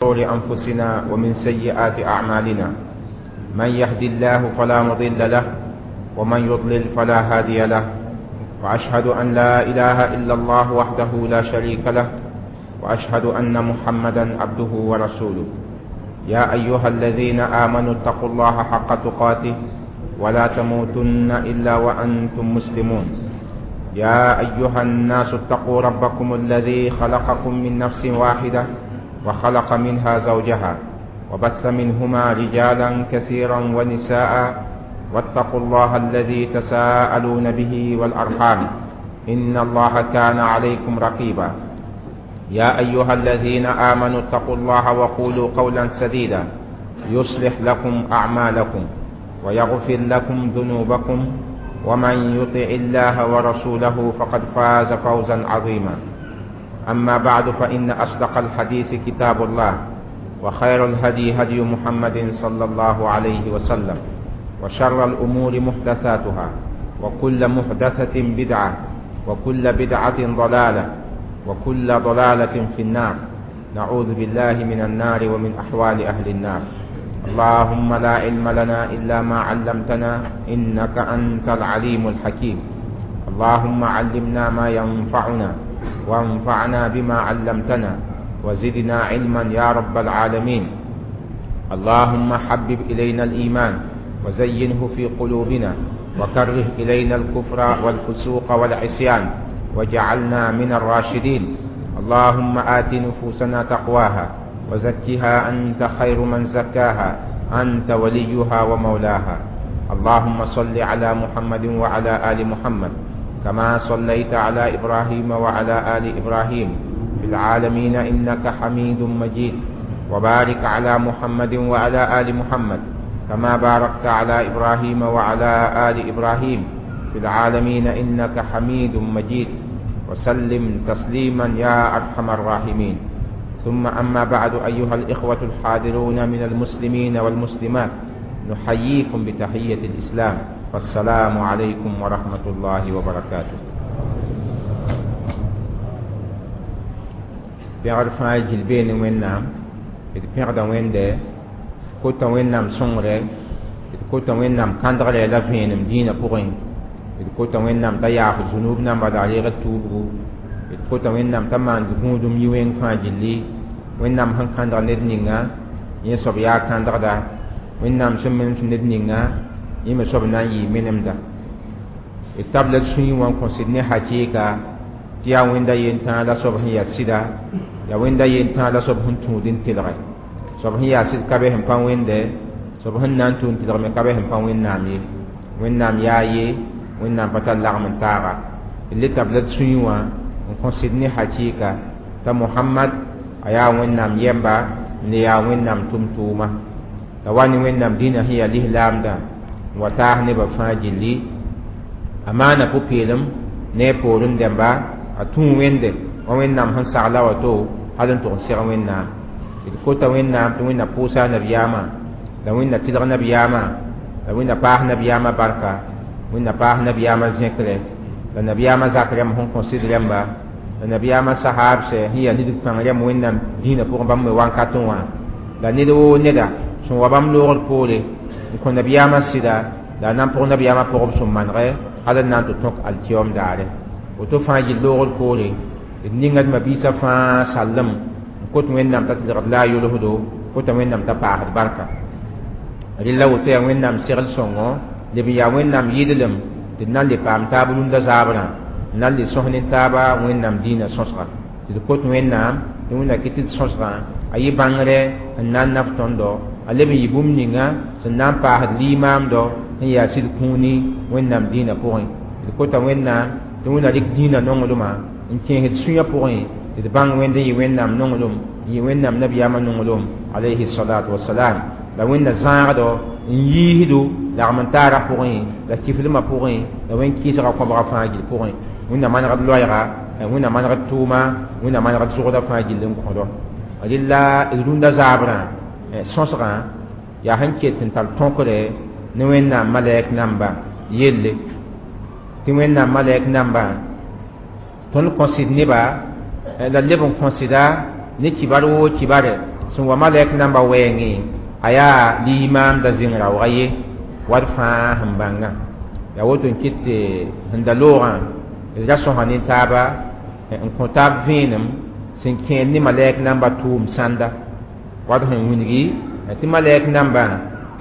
شرور أنفسنا ومن سيئات أعمالنا، من يهد الله فلا مضل له ومن يضلل فلا هادي له، وأشهد أن لا إله إلا الله وحده لا شريك له، وأشهد أن محمدا عبده ورسوله. يا أيها الذين آمنوا اتقوا الله حق تقاته ولا تموتن إلا وأنتم مسلمون. يا أيها الناس اتقوا ربكم الذي خلقكم من نفس واحدة وخلق منها زوجها وبث منهما رجالا كثيرا ونساء، واتقوا الله الذي تساءلون به والأرحام إن الله كان عليكم رقيبا. يا أيها الذين آمنوا اتقوا الله وقولوا قولا سديدا يصلح لكم أعمالكم ويغفر لكم ذنوبكم، ومن يطع الله ورسوله فقد فاز فوزا عظيما. أما بعد، فإن أصدق الحديث كتاب الله، وخير الهدي هدي محمد صلى الله عليه وسلم، وشر الأمور محدثاتها، وكل محدثة بدعة، وكل بدعة ضلالة، وكل ضلالة في النار. نعوذ بالله من النار ومن أحوال أهل النار. اللهم لا علم لنا إلا ما علمتنا إنك أنت العليم الحكيم. اللهم علمنا ما ينفعنا، وانفعنا بما علمتنا، وزدنا علما يا رب العالمين. اللهم حبب إلينا الإيمان وزينه في قلوبنا، وكره إلينا الكفر والفسوق والعصيان، وجعلنا من الراشدين. اللهم آت نفوسنا تقواها وزكها أنت خير من زكاها، أنت وليها ومولاها. اللهم صل على محمد وعلى آل محمد كما صليت على إبراهيم وعلى آل إبراهيم في العالمين إنك حميد مجيد. وبارك على محمد وعلى آل محمد كما باركت على إبراهيم وعلى آل إبراهيم في العالمين إنك حميد مجيد. وسلم تسليما يا أرحم الراحمين. ثم أما بعد، أيها الإخوة الحاضرون من المسلمين والمسلمات، نحييكم بتحية الإسلام، فالسلام عليكم ورحمة الله وبركاته. Pẽgd fãa gil beene Wẽnnaam, d pẽgda Wẽnde, kota Wẽnnaam sõngre, d kota Wẽnnaam kãndgre la vẽenem dĩinã pʋgẽ, d kota Wẽnnaam t'a yaaf zunub namba la a reegd tuubgu, d kota Wẽnnaam t'a maan gũudum yi-wẽng fãa gilli. Wẽnnaam sẽn kãndg ned ninga, yẽ soab yaa kãndgda. Wẽnnaam sẽn menes ned ninga, yẽ me soab na n yɩ menemda. D tabla d sũyẽ wã n kõ sɩd ne hakɩɩka tɩ yaa Wẽnda yentãag la soab sẽn yaa sɩda, yaa Wẽnda yentãag la soab sẽn tũud n telge. Soab sẽn yaa sɩd ka be sẽn pa Wẽnde, soab sẽn na n tũud n telg me ka be sẽn pa Wẽnnaam ye. Wẽnnaam yaa ye, Wẽnnaam pa tar lagm n taaga. D le tabla d sũyẽ wã n kõ sɩd ne hakɩɩka t'a Mohamad a yaa Wẽnnaam yɛmba n le yaa Wẽnnaam tʋm-tʋʋma. La wa ne Wẽnnaam dĩnã sẽn yaa lislaamdã n wa taas nebã fãa gilli. A maana pʋ-peelem ne a poorẽ dẽmba, a tũu Wẽnde wa Wẽnnaam sẽn sagla wato hal n tʋg n seg Wẽnnaam. D kota Wẽnnaam tɩ Wẽnna pʋʋsa a nabiyaamã, la Wẽnna tɩlg nabiyaamã, la Wẽnna paas nabiyaamã barka, Wẽnna paas nabiyaamã zẽkre, la nabiyaamã zak rẽmb sẽn kõ sɩd rẽmba, la nabiyaamã sahaabsɛ sẽn yaa nidg pãng rẽmb Wẽnnaam dĩinã pʋgẽ bãmb me wankatẽ wã, la ned woo neda sẽn wa bãmb loogr poore n kõ nabiyaamã sɩda, la a na n pʋg nabiyaamã pʋgb sẽn manegɛ hal n na n tɩ tõk alkiyoom daare. Woto fãa gill loogr poore d ninga d mabiisã fãa sallem n kot Wẽnnaam t'a tɩlgd la a yolsdo, kota Wẽnnaam t'a paasd barka. Rɩla woto yaa Wẽnnaam segl sõngo, leb n yaa Wẽnnaam yɩdlem tɩ d na n le paam taab rũndã zaabrã, n na n le sõs ne taaba Wẽnnaam dĩinã sõsga. Tɩ d kot Wẽnnaam tɩ Wẽnna kɩ tɩ d sõsgã a yɩ bãngre n na n naf tõndo, a leb n yɩ bũmb ninga sẽn na n paasd limaamdɔ sẽn yaa sɩd kũuni Wẽnnaam dĩinã pʋgẽ. Tɩ d kota Wẽnnaam tɩ Wẽnna rɩk dĩinã nonglmã n kẽesd sũyã pʋgẽ tɩ d bãng Wẽnd n yɩ Wẽnnaam nonglem, n yɩ Wẽnnaam nabiyaamã nonglem alayhi salatu wasalam. La Wẽnna zãagdo n yiisdo lagm n taarã pʋgẽ, la kiflmã pʋgẽ, la wẽn-kɩɩsgã kõbga fãa gill pʋgẽ. Wẽnna manegd loɛɛga, Wẽnna manegd tʋʋma, Wẽnna manegd zʋgdã fãa gill n kõdo. Rɩla d rũndã zaabrã sõsgã yaa sẽn ket n tar tõkre ne Wẽnnaam malɛk namba yelle. Tɩ Wẽnnaam malɛk namba tõnd kõ sɩd neba la leb n kõ sɩda ne kibar woo kibare Sẽn wa malɛk namba wɛɛngẽ a yaa limaamda zĩng raooga ye wat fãa sẽn bãngã yaa woto n kɩt tɩ sẽn da loogã d ra sõsa ne taaba n kõ taab vẽenem sẽn kẽed ne malɛk namba tʋʋm sãnda wat sẽn wilgi tɩ malɛk nambã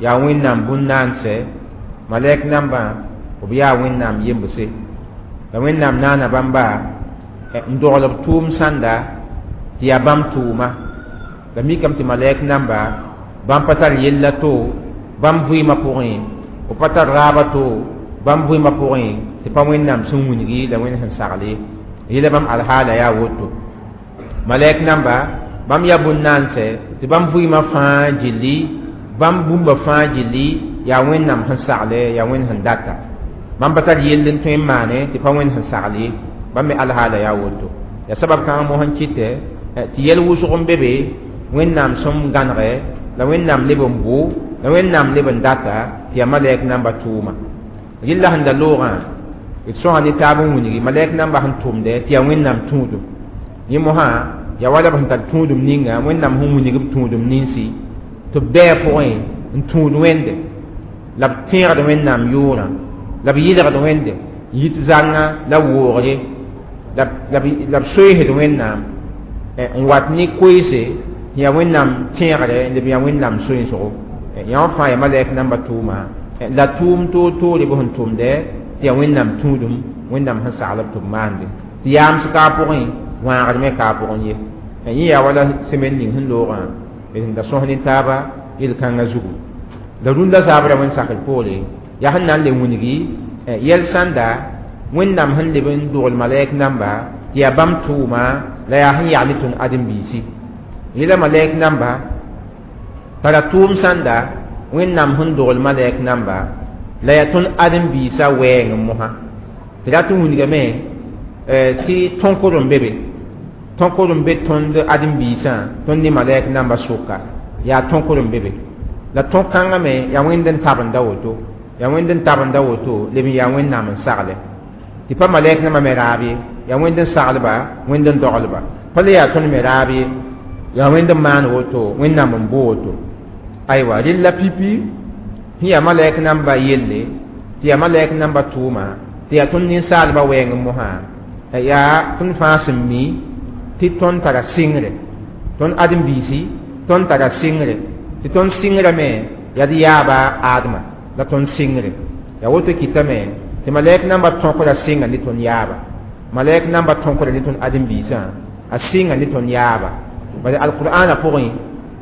yaa wẽnnaam bũn-naansɛ malɛk nambã b yaa wẽnnaam yembse la wẽnnaam naana bãmba n dogl b tʋʋm sãnda tɩ yaa bãmb tʋʋma la mikame tɩ malɛk namba bãmb pa tar yella to bãmb vɩɩmã pʋgẽ b pa tar raaba to bãmb vɩɩmã pʋgẽ tɩ pa wẽnnaam sẽn wilgi la wẽnd sẽn sagle yela bãmb alhaala yaa woto malɛk namba bãmb yaa bũn-naansɛ tɩ bãmb vɩɩmã fãa gilli bãmb bũmba fãa gilli yaa wẽnnaam sẽn sagle yaa wẽnd sẽn data bãmb pa tar yell n tõe n maane tɩ pa wẽnd sẽn sagle ye bãmb me alhaala yaa woto yaa sabab kãngã mosã n kɩtɛ tɩ yɛl wʋsg n be be wẽnnaam sẽn gãnegɛ la wẽnnaam leb n bo la wẽnnaam leb n data tɩ yaa malɛk namba tʋʋma rɩlla sẽn da loogã d sõsa ne taab n wilgi malɛk namba sẽn tʋmdɛ tɩ yaa wẽnnaam tũudum yẽ mosã yaa wala b sẽn tar tũudum ninga wẽnnaam sẽn wilg b tũudum ninsi tɩ b bɛɛ pʋgẽ n tũud wẽnde la b tẽegd wẽnnaam yʋʋrã la b yɩlgd wẽnde yit zãnga la woogre la b soeesd wẽnnaam n wat ne koeese yaa wẽnnaam tẽegre n leb yaa wẽnnaam soensgo yã wã fãa yaa malɛk namba tʋʋma la tʋʋm toor-toore b sẽn tʋmdɛ tɩ yaa wẽnnaam tũudum wẽnnaam sẽn sagl b tɩ b maande tɩ yaams ka pʋgẽ wãagd me ka pʋgẽ ye yẽ yaa wala semaine ning sẽn loogã d sẽn da sõs ne taaba yel-kãngã zugu la rũndã zabrã wẽnd sakr poore yaa sẽn na n le wilgi yɛl sãnda wẽnnaam sẽn leb n dogl malɛk namba tɩ yaa bãmb tʋʋma la yaa sẽn yag ne tõnd ãdem-biisi yẽla malɛk namba tara tʋʋm sãnda wẽnnaam sẽn dogl malɛk namba la yaa tõnd ãdem-biisã wɛɛng mosã tɩ rat n wilgame tɩ tõkd n be be tõkd n be tõnd ãdem-biisã tõnd ne malɛk namba sʋka yaa tõkd n be be la tõk-kãngã me yaa wẽnd n tabenda woto yaa wẽnd n tabenda woto leb n yaa wẽnnaam n sagle tɩ pa malɛk nambã me raab ye yaa wẽnd n saglba wẽnd n doglba pa le yaa tõnd me raab ye yaa wẽnd n maan woto wẽnnaam n bo woto aywa rella pipi sẽn yaa malɛk namba yelle tɩ yaa malɛk namba tʋʋma tɩ yaa tõnd ninsaalbã wɛɛng mosã yaa tõnd fãa sẽn mi tɩ tõnd tara sɩngre tõnd ãdem-biisi tõnd tara sɩngre tɩ tõnd sɩngrame yaa d yaaba Adama la tõnd sɩngre yaa woto kɩtame tɩ malɛk namba tõkra sɩnga ne tõnd yaaba malɛk namba tõkra ne tõnd ãdem-biisã a sɩnga ne tõnd yaaba bala alqur'ana pʋgẽ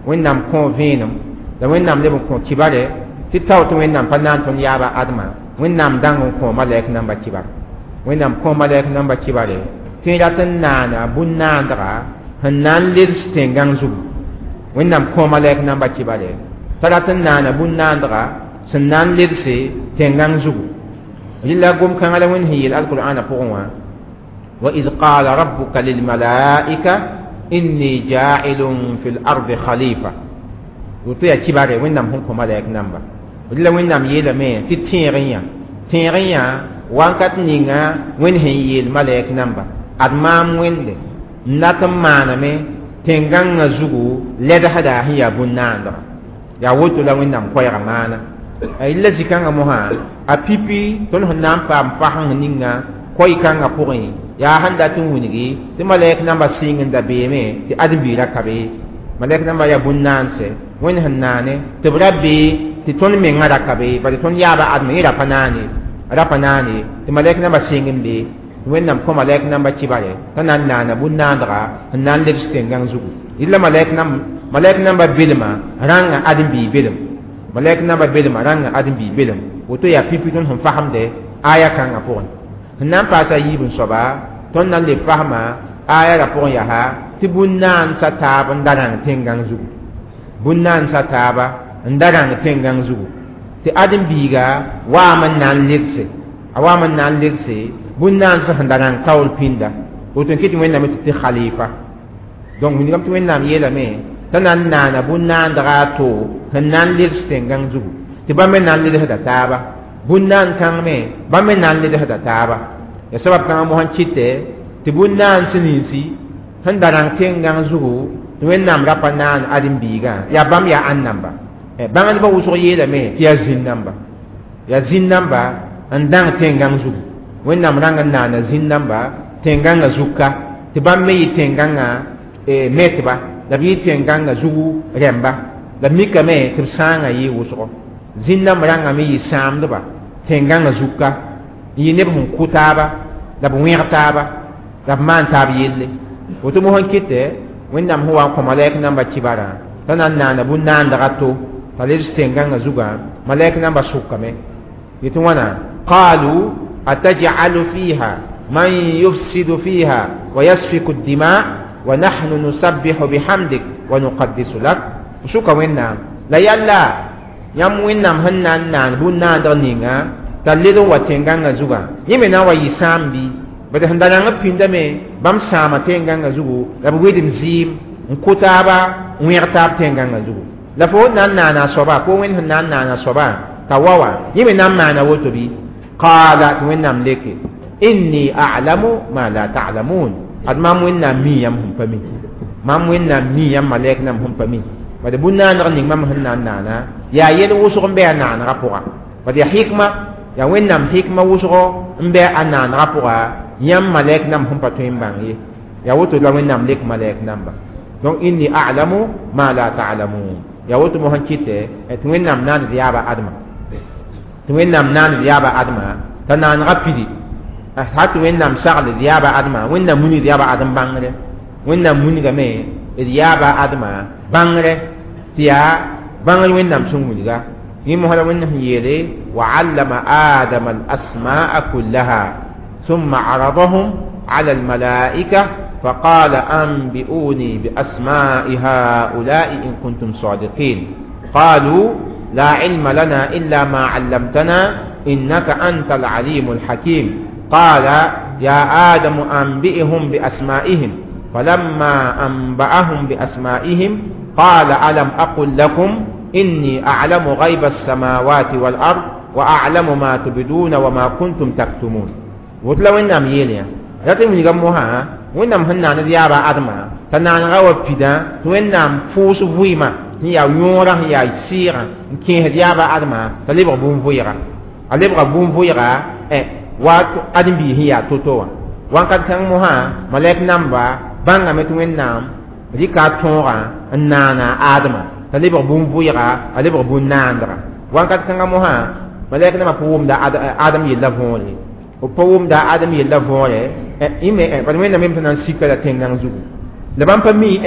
wẽnnaam kõ vẽenem la wẽnnaam leb n kõ kibare tɩ tao tɩ wẽnnaam pa naan tõnd yaaba Adama wẽnnaam dãng n kõ malɛk namba kibar wẽnnaam kõ malɛk namba kibare tɩ rat n naana bũn-naandga sẽn na n leds tẽn-gãng zugu wẽnnaam kõ malɛk namba kibare t'a rat n naana bũn-naandga sẽn na n ledse tẽn-gãng zugu rɩla gom-kãngã la wẽnd sẽn yeel alqur'ana pʋgẽ wã wa id qala rabbuka lilmalaika inni ja'ilun fi l-ardi khalifa woto yaa kibare wẽnnaam sẽn kõ malɛk namba rɩla wẽnnaam yeelame tɩ tẽeg n yã tẽeg n yã wãnkat ninga wẽnd sẽn yeel malɛk namba ad maam wẽnde n dat n maaname tẽn-gãngã zugu lɛdsda sẽn yaa bũn-naandga yaa woto la wẽnnaam koɛɛga maana rɩla zĩ-kãngã mosã a pipi tõnd sẽn na n paam fasẽng ninga koy-kãngã pʋgẽ yaa sẽn dat n wilgi tɩ malɛk namba sɩng n da beeme tɩ ãdem-biirã ka be malɛk namba yaa bũn-naansɛ wẽnd sẽn naane tɩ b ra bee tɩ tõnd mengã ra ka be bala tõnd yaaba Adama yẽ ra pa naane tɩ malɛk namba sɩng n be wẽnnaam kõ malɛk namba kibare t'a na n naana bũn-naandga n na n lebs tẽn-gãng zugu rɩla malɛk namba belmã rãnga ãdem-biig belem malɛk namba belmã rãnga ãdem-biig belem woto yaa pipi tõnd sẽn fasemde aya kãngã pʋgẽ sẽn na n paasa yiib n soaba tõnd na n le fasma aya ra pʋgẽ yaa tɩ bũn-naansã taab n da rãng tẽn-gãng zugu bũn-naansã taaba n da rãng tẽn-gãng zugu tɩ ãdem-biiga waam n na n ledse a waam n na n ledse bũn-naansã sẽn da rãng taoor pĩnda woto n kɩ tɩ wẽnnaam tɩ khalifa donc wilgame tɩ wẽnnaam yeelame t'a na n naana bũn-naandga a to sẽn na n leds tẽn-gãng zugu tɩ bãmb me na n ledsda taaba bũn-naan kãng me bãmb me na n ledsda taaba ya sabab kãngã mosã n kɩtɛ tɩ bũn-naan sẽn ninsi sẽn da rãng tẽn-gãng zugu Tɩ Wẽnnaam ra pa naan ãdem-biigã yaa bãmb yaa ãn namba bãngdbã wʋsg yeelame tɩ yaa zĩn-namba yaa zĩn-namba n dãng tẽn-gãng zugu Wẽnnaam rãng n naana zĩn-namba tẽn-gãngã zug ka tɩ bãmb me yɩ tẽn-gãngã metba la b yɩ tẽn-gãngã zugu rẽmba la b mikame tɩ b sãangã yɩ wʋsgo zĩn-namba rãngame yɩ sãamdba tẽn-gãngã zug ka n yɩ neb sẽn kʋ taaba la b wẽg taaba la b maan taab yelle woto mosã kɩtɛ Wẽnnaam sẽn wa n kõ malɛk namba kɩbarã t'a na n naana bũn-naandg to t'a lebs tẽn-gãngã zugã malɛk namba sʋkame yetɩ wãna qaalu ataj'alu fiha man yufsidu fiha wa yasfiku ddima wa nahnu nusabbihu bihamdik wa nuqaddisu lak sʋka Wẽnnaam la yalla yãmb Wẽnnaam sẽn na n naan bũn-naandg ninga t'a led n wa tẽn-gãngã zugã yẽ me na n wa yɩ sãam bɩ bad sẽn da rãng b pĩndame bãmb sãama tẽn-gãngã zugu la b wɩdem zɩɩm n kʋ taaba n wẽg taab tẽn-gãngã zugu la fo na n naana a soaba fo Wẽnd sẽn na n naana a soaba t'a wa wã yẽ me na n maana woto bɩ qaala tɩ Wẽnnaam leke inni a'lamu ma la ta'lamun ad mam Wẽnnaam mi yãmb sẽn pa mi mam Wẽnnaam mi yãmb malɛk nam sẽn pa mi bad bũn-naaneg ning mam sẽn na n naana yaa yel wʋsg n bɩ a naanegã pʋga bad yaa hikma yaa Wẽnnaam hikma wʋsgo n bɩ a naanegã pʋga yãmb malɛk nam sẽn pa tõe n bãng ye yaa woto la Wẽnnaam lek malɛk namba donc inni a'lamu ma la ta'lamun yaa woto mo sẽn kɩtɛ tɩ Wẽnnaam naand yaaba adma tɩ Wẽnnaam naand yaaba adma t'a naanegã pidi ha tɩ Wẽnnaam sagl d yaaba adma Wẽnnaam munig d yaaba adem bãngre Wẽnnaam munigame d yaaba adma bãngre tɩ yaa bãngr Wẽnnaam sẽn wilga yẽ mosã la Wẽnnaam sẽn yeele wa allama adama al asmaa kullaha ثم عرضهم على الملائكة فقال أنبئوني بأسماء هؤلاء إن كنتم صادقين قالوا لا علم لنا إلا ما علمتنا إنك أنت العليم الحكيم قال يا آدم أنبئهم بأسمائهم فلما أنبأهم بأسمائهم قال ألم أقل لكم إني أعلم غيب السماوات والأرض وأعلم ما تبدون وما كنتم تكتمون woto la Wẽnnaam yeel yã rat n wilga mosã Wẽnnaam sẽn naan d yaaba adma t'a naanega wa pidã tɩ Wẽnnaam pʋʋs vɩɩmã sẽn yaa yõorã sẽn yaa sɩɩgã n kẽesd yaaba adma t'a lebg bũn-vʋɩga a lebga bũn-vʋɩga wa ãdem-biis sẽn yaa to-to wã wãnkat kãng mosã malɛk namba bãngame tɩ Wẽnnaam rɩka a tõogã n naana adma t'a lebg bũn-vʋɩga a lebg bũn-naandga wãnkat kãngã mosã malɛk nambã pa wʋmda Adem yella võore b pa wʋmda Adem yella võore ime bad Wẽnnaam yem tɩ na n sika la tẽn-gãng zugu la bãmb pa mi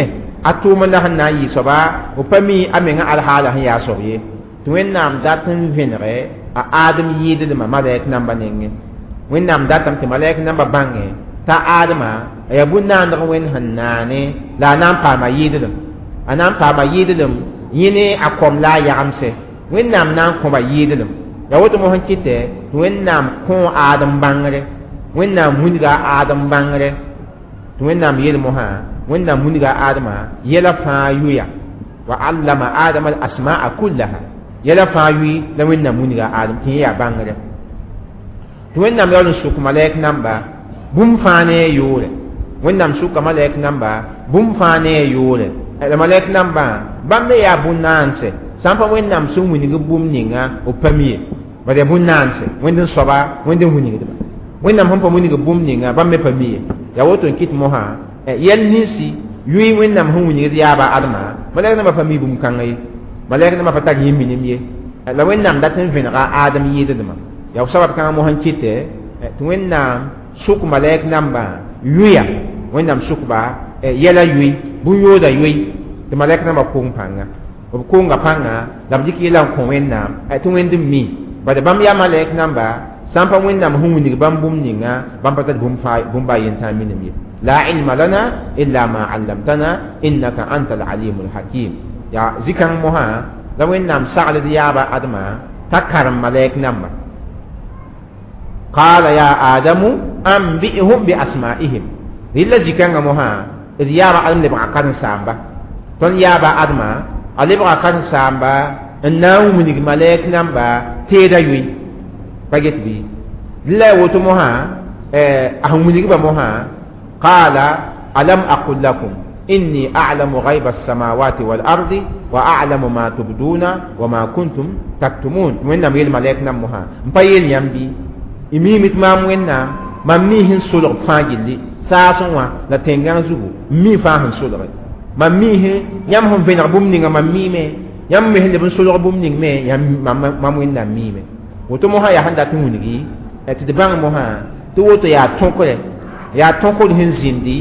a tʋʋm la sẽn na n yɩ soaba b pa mi a menga alhaala sẽn yaa soab ye tɩ Wẽnnaam dat n vẽnege a Adem yɩɩdlmã malɛk namba nengẽ Wẽnnaam datame tɩ malɛk namba bãngẽ t'a Adema a yaa bũn-naandg Wẽnd sẽn naane la a na n paama yɩɩdlem a na n paama yɩɩdlem yẽ ne a kom la a yagemse Wẽnnaam na n kõba yɩɩdlem yaa woto mosã kɩtɛ tɩ Wẽnnaam kõ Adem bãngre Wẽnnaam wilga Adem bãngre tɩ Wẽnnaam yeel mosã Wẽnnaam wilga Adema yɛla fãa yʋya wa allama adama al asmaa kullaha yɛla fãa yʋɩ la Wẽnnaam wilga Adem tɩ yẽ yaa bãngre tɩ Wẽnnaam yaool n sʋk malɛk namba bũmb fãa ne a yʋʋre Wẽnnaam sʋka malɛk namba bũmb fãa ne a yʋʋre la malɛk nambã bãmb me yaa bũn-naanse sã n pa Wẽnnaam sẽn wilg bũmb ninga b pa mi ye bad yaa bũn-naanse Wẽnd n soaba Wẽnd n wilgdba Wẽnnaam sẽn pa wilg bũmb ninga bãmb me pa mi ye yaa woto n kɩt mosã yɛl ninsi yʋɩ Wẽnnaam sẽn wilgd yaaba adma malɛk nambã pa mi bũmb kãngã ye malɛk nambã pa tar yẽ minim ye la Wẽnnaam dat n vẽnega Adem yɩɩdlmã yaa sabab kãngã mosã n kɩtɛ tɩ Wẽnnaam sʋk malɛk nambã yʋya Wẽnnaam sʋkba yɛla yʋɩ bũn-yooda yʋɩ tɩ malɛk nambã kong pãnga b konga pãnga la b dɩk yɛla n kõ Wẽnnaam tɩ Wẽnd n mi bad bãmb yaa malɛk namba sã n pa Wẽnnaam sẽn wilg bãmb bũmb ninga bãmb pa tar bũmb a yen tãa minim ye la ilma lana illa ma allamtana innaka anta alalimu alhakim yaa zĩ-kãng mosã la Wẽnnaam sagl d yaaba adma t'a karem malɛk namba qala ya adamu anbi'hum bi asma'ihim rɩla zĩ-kãngã mosã d yaaba adem lebga karen-saamba tõnd yaaba adma a lebga karen-saamba n na n wilg malɛk namba teeda yʋɩ pa get bɩ la ya woto mosã a sẽn wilgba mosã qala alam aqul lakum Inni a'lamu ghaiba as-samawati wal ardi wa a'lamu ma tubduna wa ma kuntum taktumun. Wẽnnaam yeel malɛk nam mosã n pa yeel yãmb bɩ y miime tɩ maam Wẽnnaam mam mi sẽn solg fãa gilli saasẽ wã la tẽn-gãng zugu n mi fãa sẽn solge mam mi sẽn yãmb sẽn vẽneg bũmb ninga mam miime yãmb me sẽn leb n solg bũmb ning me mam Wẽnnaam miime. Woto mosã yaa sẽn dat n wilgi tɩ d bãng mosã tɩ woto yaa tõkre yaa tõkr sẽn zĩndi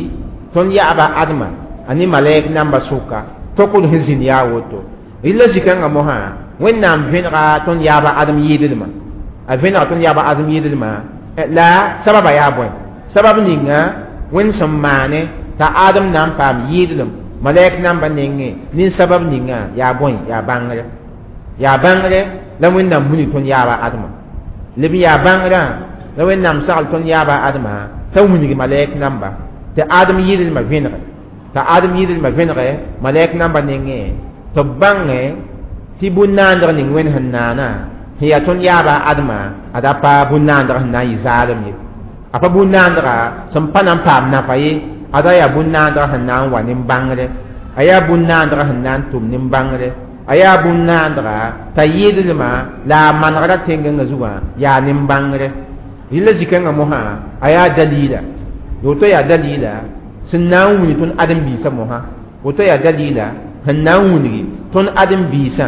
tõnd yaaba Adma a ne malɛk namba sʋka tõkr sẽn zĩnd yaa woto. Rɩla zikãngã mosã Wẽnnaam vẽnega tõnd yaaba Adem yɩɩdlmã a vẽnega tõnd yaaba Adem yɩɩdlmã la sababa yaa bõe sabab ninga Wẽnd sẽn maane t'a Adem na n paam yɩɩdlem malɛk namba nengẽ nin sabab ninga yaa bõe yaa bãngre yaa bãngre la Wẽnnaam wilg tõnd yaaba Adma leb n yaa bãngrã la Wẽnnaam sagl tõnd yaaba Adma t'a wilg malɛk namba tɩ Adem yɩɩdlmã vẽnege t'a Adem yɩɩdlmã vẽnege malɛk namba nengẽ tɩ b bãngẽ tɩ bũn-naandg ning Wẽnd sẽn naana sẽn yaa tõnd yaaba Adma ad a pa bũn-naandg sẽn na n yɩ zaalem ye a pa bũn-naandga sẽn pa na n paam nafa ye ada yaa bũn-naandg sẽn na n wa nin-bãngre a yaa bũn-naandg sẽn na n tʋm nin-bãngre a yaa bũn-naandga t'a yɩɩdlmã la a manegra tẽn-gãngã zugã yaa nin-bãngre rɩla zikãngã mosã a yaa dalila woto yaa dalila sẽn na n wilg tõnd ãdem-biisã mosã woto yaa dalila sẽn na n wilgi tõnd ãdem-biisã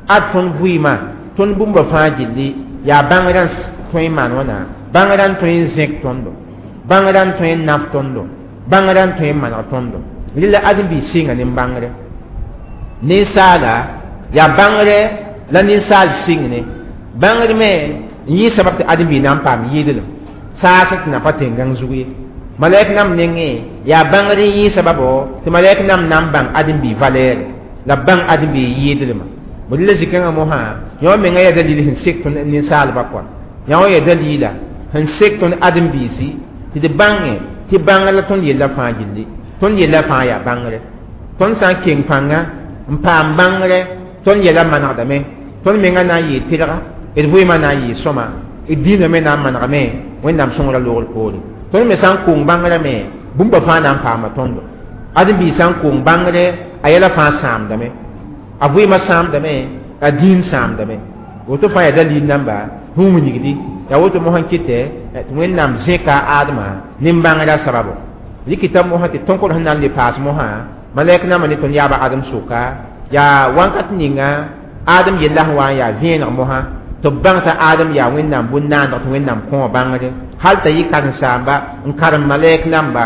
ad tõnd vɩɩmã tõnd bũmba fãa gilli yaa bãngrã tõe n maan wãna bãngrã n tõe n zẽk tõndo bãngrã n tõe n naf tõndo bãngrã n tõe n maneg tõndo rɩla ãdem-biis sɩnga nin-bãngre ninsaala yaa bãngre la ninsaal sɩng ne bãngr me n yɩ sabab tɩ ãdem-biig na n paam yɩɩdlem saas tɩ na pa tẽn-gãng zug ye malɛk nam nengẽ yaa bãngr n yɩ sababo tɩ malɛk nam na n bãng ãdem-biig valɛɛre la b bãng ãdem-biig yɩɩdlmã bõe la zikãngã mosã yõ menga yaa dalil sẽn sek tõnd ninsaalbã kɔa yõ yaa dalila sẽn sek tõnd ãdem-biisi tɩ d bãngẽ tɩ bãngr la tõnd yella fãa gilli tõnd yella fãa yaa bãngre tõnd sã n keng pãnga n paam bãngre tõnd yɛla manegdame tõnd menga na n yɩɩ tɩrga d vɩɩmã na n yɩɩ sõma d dĩinã me na n manegame Wẽnnaam sõngrã loogr poore tõnd me sã n kong bãngrã me bũmba fãa na n paama tõndo ãdem-biig sã n kong bãngre a yɛla fãa sãamdame a vɩɩmã sãamdame a dĩin sãamdame woto fãa yaa dalil namba sẽn wilgdi yaa woto mosã kɩtɛ tɩ Wẽnnaam zẽka Adma nin-bãngrã sababo rɩkɩta mosã tɩ tõkr sẽn na n le paas mosã malɛk nambã ne tõnd yaaba Adem sʋka yaa wãnkat ninga Adem yella sẽn wa n yaa vẽeneg mosã tɩ b bãng t'a Adem yaa Wẽnnaam bũn-naandg tɩ Wẽnnaam kõ bãngre hal t'a yɩ karen-saamba n karem malɛk namba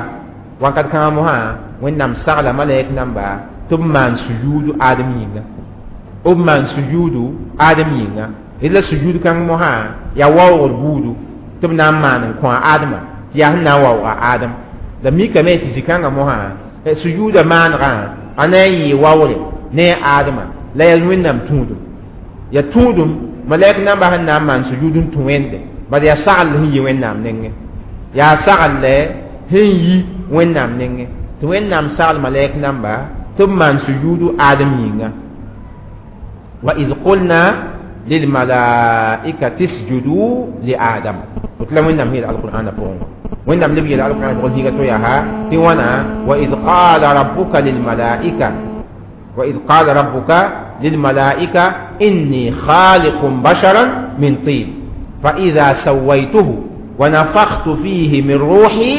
wãnkat kãngã mosã Wẽnnaam sagla malɛk namba tɩ b maan sujuudu Adem yĩnga b maan sujuudu Adem yĩnga la sujuud kãng mosã yaa waoogr buudu tɩ b na n maan n kõ a Adema tɩ yaa sẽn na n waooga Adem la mikame tɩ zĩ-kãngã mosã sujuuda maanegã a na n yɩɩ waoore ne a Adema la yaa Wẽnnaam tũudum yaa tũudum malɛk namba sẽn na n maan sujuud n tũ Wẽnde bala yaa sagl sẽn yi Wẽnnaam nengẽ yaa sagl sẽn yi Wẽnnaam nengẽ tɩ Wẽnnaam sagl malɛk namba tɩ b maan sujuudu Adem yĩnga wa id qulna lilmalaikati isjudu li Adam woto la Wẽnnaam yeel alqur'ana pʋgẽ Wẽnnaam leb yeela alqur'an pʋgẽ zĩiga to yaa tɩ wãna wa id qala rabbuka lilmalaika wa id qala rabbuka lilmalaika inni khaliqun basharan min tin fa idha sawaytuhu wa nafakhtu fihi min ruhi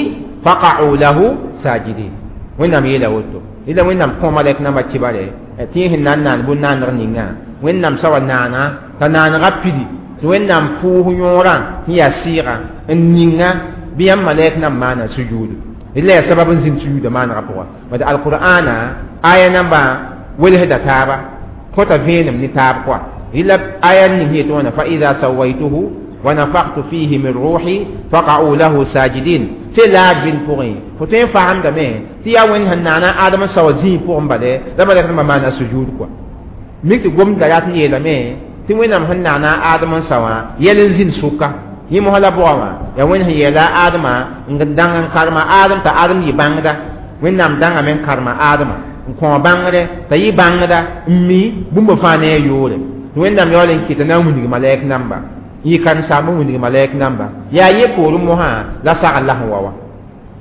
faqa'u lahu sajidin Wẽnnaam yeela woto ila Wẽnnaam kõ malɛk nambã kibare tɩ yẽ sẽn na n naan bũn-naandg ninga Wẽnnaam sa wa naana t'a naanegã pidi tɩ Wẽnnaam pʋʋs yõorã sẽn yaa sɩɩgã n ninga bɩ yãmb malɛk nam maana sujuudu la yaa sabab n zĩnd sujuudã maanegã pʋga bad alqur'ana aya nambã welsda taaba kõta vẽenem ne taab kɔa rɩla aya ning sẽn yetɩ wãna fa ida sawaituhu wa nafakhtu fihi min ruhi faqa'u lahu sajidin sẽn laag bĩnd pʋgẽ fo tõe n faamdame tɩ yaa Wẽnd sẽn naana Adem n sao zĩig pʋgẽ bale la malɛk nambã maana sujuud kɔa mik tɩ gomda yaa tɩ n yeelame tɩ Wẽnnaam sẽn naana Adem n sa wã yɛl n zĩnd sʋka yẽ mosã la bʋga wã yaa Wẽnd sẽn yeela Adema n dãng n karema Adem t'a Adem yɩ bãngda Wẽnnaam dãngame n karema Adema n kõ bãngre t'a yɩ bãngda n mi bũmba fãa ne a yoore tɩ Wẽnnaam yaool n kɩta na n wilg malɛk namba n yɩ karen-saamba n wilg malɛk namba yaa ye poorẽ mosã la sagl la sẽn wa wã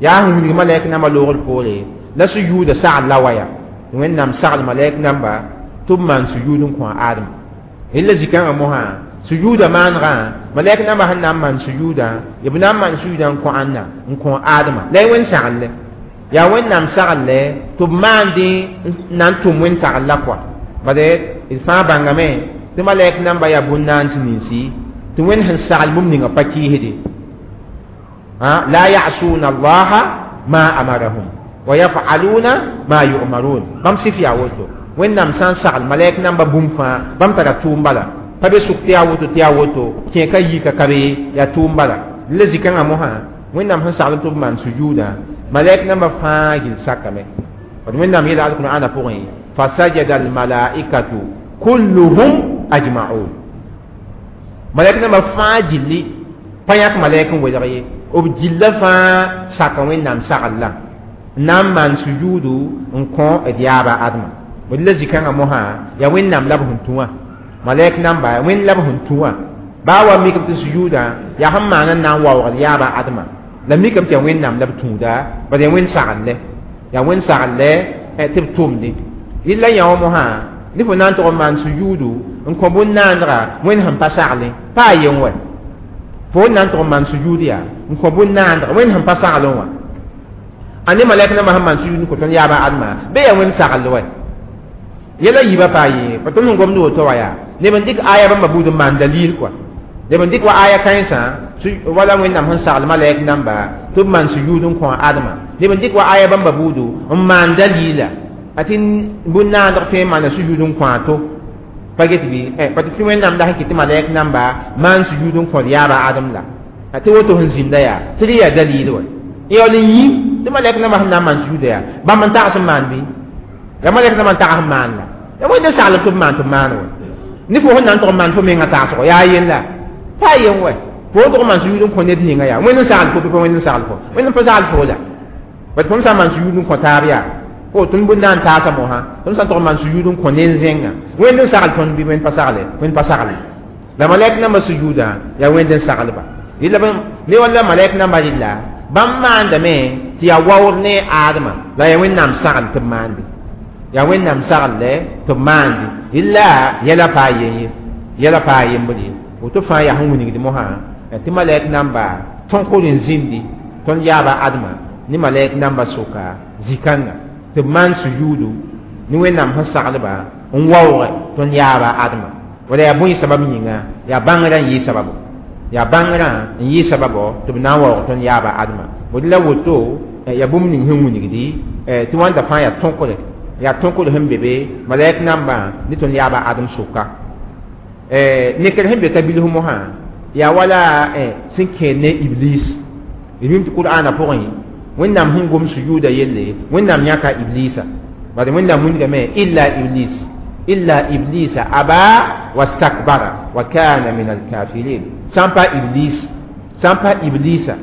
yaa sẽn wilg malɛk namba loogr poore La sujuuda sagl la wa yaa Wẽnnaam sagl malɛk namba tɩ b maan sujuud n kõ a Adem. Rẽla zikãngã mosã sujuuda maanegã malɛk namba sẽn na n maan sujuudã b na n maan sujuudã n kõ ãnna n kõ Adema la y Wẽnd sagl yaa Wẽnnaam sagl tɩ b maandẽ na n tʋm Wẽnd sagl la kɔa bade d fãa bãngame tɩ malɛk namba yaa bũn-naans ninsi tɩ Wẽnd sẽn sagl bũmb ninga pa kɩɩsde la ya'suna allaha ma amarahum wa yaf'aluna ma yu'marun bãmb sɩf yaa woto Wẽnnaam sã n sagl malɛk namba bũmb fãa bãmb tara tʋʋm bala pa be sʋk tɩ yaa woto tɩ yaa woto kẽeka yiika ka be yaa tʋʋm bala la zikãngã mosã Wẽnnaam sẽn sagl tɩ b maan sujuudã malɛk namba fãa gil sakame d Wẽnnaam yeela alqur'ana pʋgẽ fasajada almalaikatu kulluhum ajma'un malɛk namba fãa gilli pa yãk malɛk n welg ye b gilla fãa saka Wẽnnaam sagl la n na n maan sujuudu n kõ d yaaba Adma d la zikãngã mosã yaa Wẽnnaam la b sẽn tũ wã malɛk namba Wẽnd la b sẽn tũ wã baa wa mikame tɩ sujuudã yaa sẽn maan n na n waoogd yaaba Adma la mikame tɩ yaa Wẽnnaam la b tũuda bad yaa Wẽnd sagl yaa Wẽnd sagl tɩ b tʋmde rɩla yã wã mosã ne fo na n tʋg n maan sujuudu n kõ bũn-naandga Wẽnd sẽn pa saglẽ pa a yen wɛ fo na n tʋg n maan sujuud yaa n kõ bũn-naandga Wẽnd sẽn pa saglẽ wã a ne malɛk nambã sẽn maan sujuud n kõ tõnd yaaba Adma bɩ yaa Wẽnd sagl wɛ yɛla yiibã paa yee pa tõnd sẽn gomd woto wã yaa neb n dɩk aya bãmba buud n maan dalil kɔa neb n dɩk wa aya kãensã wala Wẽnnaam sẽn sagl malɛk namba tɩ b maan sujuud n kõ a Adma neb n dɩk wa aya bãmba buudu n maan dalila a tɩ bũn-naandg tõe n maana sujuud n kõ a to pa get bɩ pa tɩ Wẽnnaam la sẽn kɩt tɩ malɛk namba maan sujuud n kõd yaaba Adem la tɩ woto sẽn zĩnda yaa tɩ rẽ yaa dalil wa yaool n yĩ tɩ malɛk namba sẽn na n maan sujuuda yaa bãmb n tags n maan bɩ yaa malɛk namba n tags n maan la yaa Wẽnd n sagl tɩ b maan tɩ b maan wa ne fo sẽn na n tʋg n maan fo menga tagsgo yaa yen la pa yen wɛ fo tʋg n maan sujuud n kõ ned ninga yaa Wẽnd n sagl fo bɩ pa Wẽnd n sagl fo Wẽnd n pa sagl fo la bat tõnd sã n maan sujuud n kõ taab yaa fo tõnd bũn-naan taasa mosã tõnd sã n tʋg n maan sujuud n kõ nen-zẽngã Wẽnd n sagl tõnd bɩ Wẽnd pa sagle Wẽnd pa sagle la malɛk namba sujuudã yaa Wẽnd n saglba rɩla ne walla malɛk namba rɩlla bãmb maandame tɩ yaa waood ne Adama la yaa Wẽnnaam sagl tɩ b maande yaa Wẽnnaam sagl tɩ b maande illa yɛla paa yen ye yɛla paa yembr ye woto fãa yaa sẽn wilgd mosã tɩ malɛk namba tõkr n zĩndi tõnd yaaba Adma ne malɛk namba sʋka zĩ-kãnga tɩ b maan sujuudu ne Wẽnnaam sẽn saglba n waoogɛ tõnd yaaba Adma wala yaa bõe sabab yĩnga yaa bãngrã n yɩ sababo yaa bãngrã n yɩ sababo tɩ b na n waoog tõnd yaaba Adma bd la woto yaa bũmb ning sẽn wilgdi tɩ wãnda fãa yaa tõkre yaa tõkr sẽn be be malɛk nambã ne tõnd yaaba Adem sʋka nekr sẽn be ka bilf mosã yaa wala sẽn kẽed ne Iblis d mim tɩ Qur'aana pʋgẽ Wẽnnaam sẽn gom sujuuda yelle Wẽnnaam yãka Iblisa bad Wẽnnaam wilgame illa iblis illa iblisa aba wastakbara wa kana min alkafirin sã n pa Iblis sã n pa Iblisa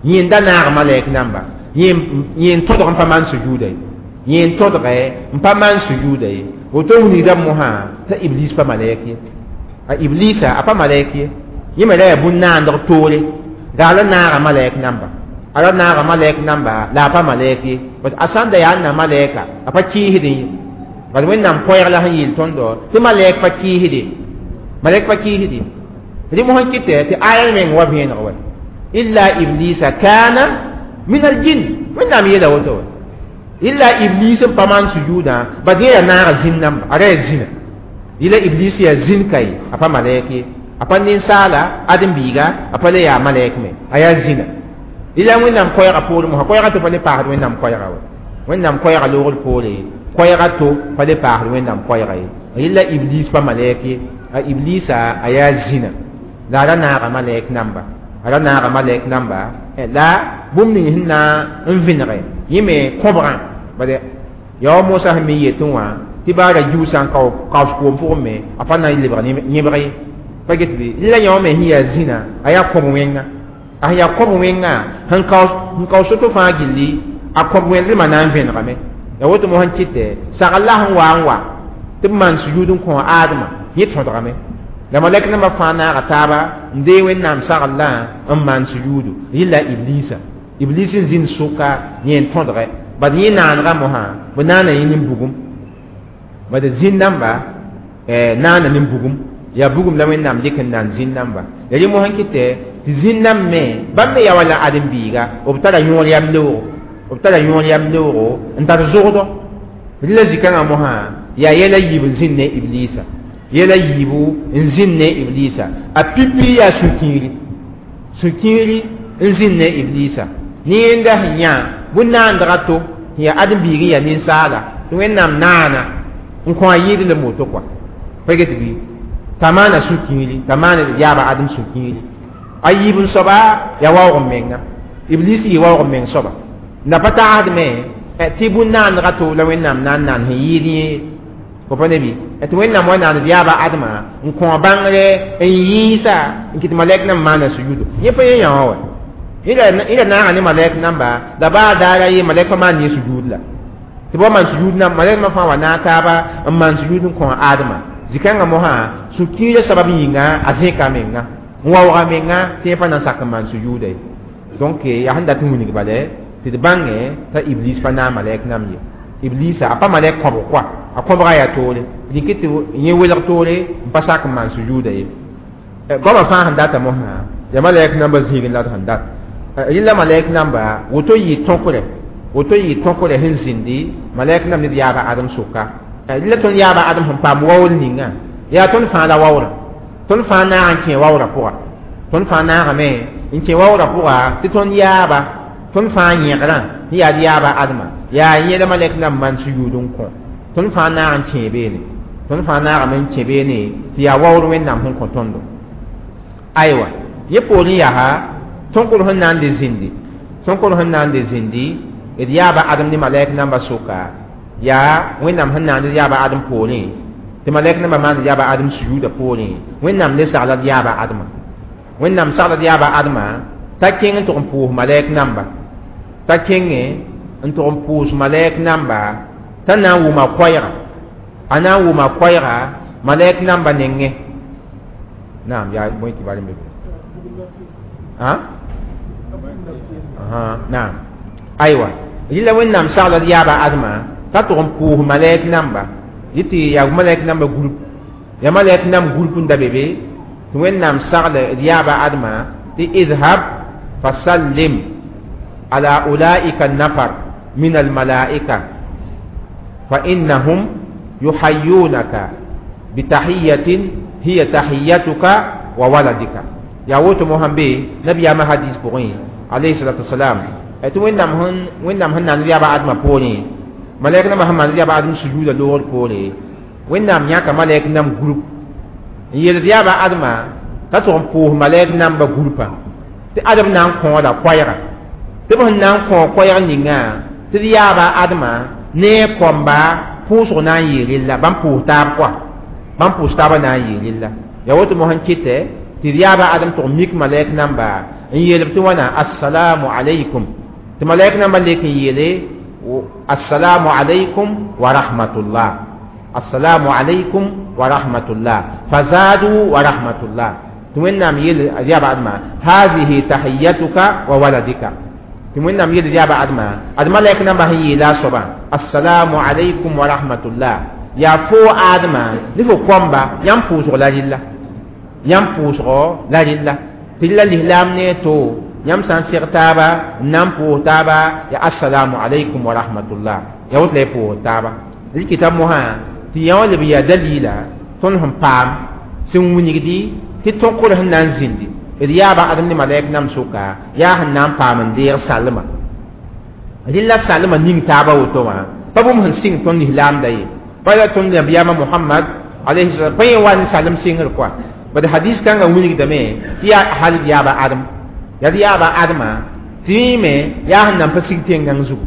yẽ n da naag malɛk namba yẽ n tõdg n pa maan sujuuda ye yẽ n tõdgɛ n pa maan sujuuda ye woto wilgda mosã t'a Iblis pa malɛk ye a Iblisa a pa malɛk ye yẽ me ra yaa bũn-naandg toore gaa la naaga malɛk namba a ra naaga malɛk namba la a pa malɛk ye bat a sãn da yaa n na malɛka a pa kɩɩsdẽ ye bad Wẽnnaam koɛɛg la sẽn yeel tõndo tɩ malɛk pa kɩɩsde malɛk pa kɩɩsde rẽ mosã kɩtɛ tɩ aya meng wa vẽeneg wɛ illa iblisa kana min aljin Wẽnnaam yeela woto wɛ illa Iblis n pa maan sujuudã bad yẽ yaa naaga zĩn namba a ra yaa zĩna yɩla Iblis yaa zĩn ka ye a pa malɛk ye a pa ninsaala ãdem-biiga a pa le yaa malɛk me a yaa zĩna yɩla Wẽnnaam koɛɛgã poorẽ mosã koɛɛgã tɩ pa le paasd Wẽnnaam koɛɛga wɛ Wẽnnaam koɛɛga loogr poore koɛɛga to pa le paasd Wẽnnaam koɛɛga ye yɩla Iblis pa malɛk ye a Iblisa a yaa zĩna la a ra naaga malɛk namba a ra naaga malɛk namba la bũmb ning sẽn na n vẽnege yẽ me kõbgã bad yaa wa Mosa sẽn me yetẽ wã tɩ baa ra giuusã n kaoos koom pʋgẽ me a pa na n lebg yẽbg ye pa get bɩ la yã wã me sẽn yaa zĩna a yaa kõb wẽnga a sẽn yaa kõb wẽnga sẽn kaoos soto fãa gilli a kõb wẽndrmã na n vẽnegame ya woto mo sẽn kɩtɛ sagl la sẽn wa n wa tɩ b maan sujuud n kõ Adama yẽ tõdgame la malɛk nambã fãa naaga taaba n dee Wẽnnaam sagl la n maan sujuudu yɩla Iblisa Iblis n zĩnd sʋka yẽ n tõdgɛ Bad yẽ naanegã mosã b naana yẽ nin-bugum bad zĩn-dãmba naana nin-bugum yaa bugum la Wẽnnaam dɩk n naan zĩn-dãmba ya rẽ mosã n kɩtɛ tɩ zĩn-dãmb me bãmb me yaa wala ãdem-biiga b tara yõor yam leoogo b tara yõor yam leoogo n tar zogdɔ rẽ la zĩ-kãngã mosã yaa yɛla yiib n zĩnd ne ibliisa yɛla yiibu n zĩnd ne ibliisa a pipi yaa sũ-kiiri sũ-kiiri n zĩnd ne ibliisa ne yẽnda sẽn yã bũn-naandga to sẽn yaa ãdem-biig n yaa ninsaala tɩ Wẽnnaam naana n kõ a yɩɩd lem woto kɔa pa get bɩ t'a maana sũ-kiiri t'a maan yaaba ãdem sũ-kiiri a yiib n soaba yaa waoog n menga iblis yɩ waoog n meng soaba la pa tagsdme tɩ bũn-naandga to la Wẽnnaam na n naan sẽn yɩɩd yẽ fo pa ne bɩ tɩ Wẽnnaam wa naand yaaba ãdema n kõ bãngre n yĩisa n kɩt malɛk namba maana suyudo yẽ pa yẽ yã wã wa yẽ ra naaga ne malɛk namba la baa daara ye malɛk pa maan yẽ sujud la tɩ ba maan sujud na malɛk namba fãa wa naag taaba n maan sujud n kõ ãdema zĩ-kãngã mosã sũ-kiirã sabab yĩnga a zẽka menga n waooga menga tɩ yẽ pa na n sak n maan sujuuda ye donc yaa sẽn dat n wilg bala tɩ d bãngẽ t'a iblis pa naag malɛk nam ye iblisa a pa malɛk kõbg koa a kõbga yaa toore dɩk tɩ yẽ welg toore n pa sak n maan sujuuda ye goamã fãa sẽn data mosã yaa malɛk namba zĩigẽ la d sẽn dat rẽ la malɛk namba woto yɩ tõkrɛ woto yɩ tõkrɛ sẽn zĩndi malɛk nam ned yaaba ãdem sʋka rẽ la tõnd yaaba ãdem sẽn paam waoor ninga yaa tõnd fãa la waoora tõnd fãa naag n kẽ waoorã pʋga tõnd fãa naagame n kẽ waoorã pʋga tɩ tõnd yaaba tõnd fãa yẽgrã sẽn yaa d yaaba ãdema yaa yẽ la malɛk nam maan suyuud n kõ tõnd fãa naag n kẽ beene tõnd fãa naagame n kẽ beene tɩ yaa waoor Wẽnnaam sẽn kõ tõndo aywa yẽ poorẽ yaa tõnkr sẽn na n de zĩndi tõnkr sẽn na n de zĩndi d yaaba ãdem ne malɛk namba sʋka yaa Wẽnnaam sẽn naand d yaaba ãdem poorẽ tɩ malɛk namba maand d yaaba ãdem sujuudã poorẽ Wẽnnaam le sagla d yaaba ãdema Wẽnnaam sagla d yaaba ãdema t'a kẽng n tʋg n pʋʋs malɛk namba t'a kẽngẽ n tʋg n pʋʋs malɛk namba t'a na n wʋma koɛɛga a na n wʋma koɛɛga malɛk namba nengẽ naam yaa bõe tɩ bar n be naam aywa rɩla Wẽnnaam sagla d yaaba ãdema t'a tʋg n pʋʋs malɛk namba yɩ tɩ yaa malɛk namba group yaa malɛk nam group n da be be tɩ Wẽnnaam sagla d yaaba ãdema tɩ idhab fasallim ala ulaika nafar min almalaika fa innahum yuhayyunaka bitahiyatin hiya tahiyatuka wa waladika yaa woto mosã be nabiyaamã hadis pʋgẽ alayhi salatu wasalam tɩ Wẽnnaam sẽn naand yaaba ãdemã poorẽ malɛk nambã sẽn maand yaaba ãdem sujuuda loogr poore Wẽnnaam yãka malɛk nam group n yeeld yaaba ãdema t'a tʋg n pʋʋs malɛk namba groupa tɩ ãdem na n kõoda koɛɛga tɩ b sẽn na n kõ koɛɛg ninga tɩ d yaaba ãdema ne a kõmba pʋʋsg na n yɩɩ rella bãmb pʋʋs taab koa bãmb pʋʋs taabã na n yɩɩ rella yaa woto mosã n kɩtɛ tɩ d yaaba ãdem tʋg mik malɛk namba n yeelb tɩ wãna assalamu alaykum tɩ malɛk namba lek n yeele assalamu alaykum wa rahmatullah assalamu alaykum wa rahmatullah fazadu wa rahmatullah tɩ Wẽnnaam yeel yaaba ãdema hadihi tahiyatuka wa waladika tɩ Wẽnnaam yeel yaaba ãdema ad malɛk namba sẽn yeela a soabã assalamu alaykum wa rahmatullah yaa foo ãdema ne fo kõmba yãmb pʋʋsg la rɩlla yãmb pʋʋsgɔ la rɩlla tɩ la lislaam ne to yãmb sã n seg taaba n na n pʋʋs taaba ya assalamu alaykum wa rahmatullah ya woto la y pʋʋs taaba rɩkɩta mosã tɩ yã wã leb n yaa dalila tõnd sẽn paam sẽn wilgdi tɩ tõkr sẽn na n zĩndi d yaaba ãdem ne malɛk nam sʋka yaa sẽn na n paam n deeg salma rɩla salma ning taaba woto wã pa bũmb sẽn sɩng tõnd lislaamda ye pa la tõnd nabiyaamã Mohamad alayhi salam pa yẽ wa ne salem sɩngr koa bad hadis kãngã wilgdame tɩ yaa hal d yaaba ãdem yaa d yaaba ãdema tɩ yẽme yaa sẽn nan pa sig tẽngãng zugu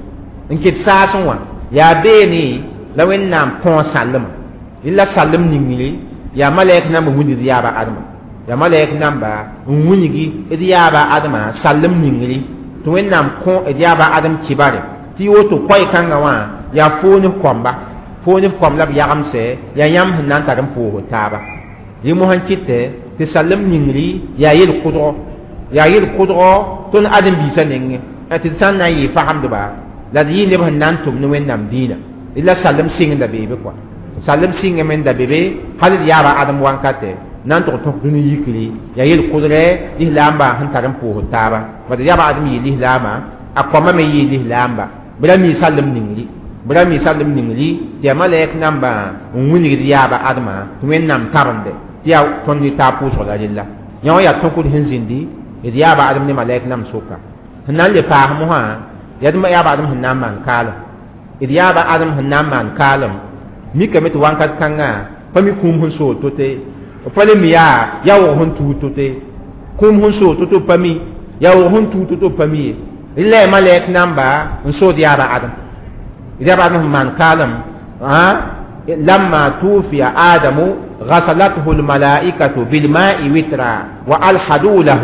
n ket saasẽ wã yaa beene la Wẽnnaam kõ sallema rɩla sallem ningre yaa malɛk namba n wilgd yaaba ãdema yaa malɛk namba n wilgi d yaaba ãdema sallem ningre tɩ Wẽnnaam kõ d yaaba ãdem kibare tɩ woto koɛɛ-kãngã wã yaa foo ne kõmba foo ne kõm la b yagemsɛ yaa yãmb sẽn na n tar n pʋʋsd taaba rẽ mosã n kɩtɛ tɩ sallem ningri yaa yel-kʋdgo yaa yel-kʋdgo tõnd ãdem-biisã nengẽ tɩ d sã n na n yɩɩ fagemdba La d yɩ neb sẽn na n tʋm ne Wẽnnaam dĩinã. La salem sɩngda beebe kɔa, salem sɩngame n da be be hal d yaaba Adem wankatɛ na n tʋg tõk dũni yikri. Yaa yel-kʋdrɛ lislaambã sẽn tar n pʋʋsd taaba. Bad yaaba Adem yɩ lislaama, a kõma me yɩ lislaamba. Bɩ ra mi salem ningri, bɩ ra mi salem ningri tɩ yaa malɛk nambã n wilgd yaaba Ademã tɩ Wẽnnaam tabende tɩ yaa tõnd ne taab pʋʋsg la rella. Yã wã yaa tõkd sẽn zĩndi d yaaba Adem ne malɛk nam sʋka. Sẽn na n le paas mosã, yaa d yaaba Adem sẽn na n maan kaalem, d yaaba Adem sẽn na n maan kaalem mikame tɩ wãnkat kãngã pa mi kũum sẽn soog to-to, pa le mi yaa yaoog sẽn tuud to-to. Kũum sẽn soog to-to pa mi, yaoog sẽn tuud to-to pa mi ye. La yaa malɛk namba n sood yaaba Adem, yaaba Adem sẽn maan kaalem. لما توفي آدم غسلته الملائكة بالماء وترا وألحدوا له،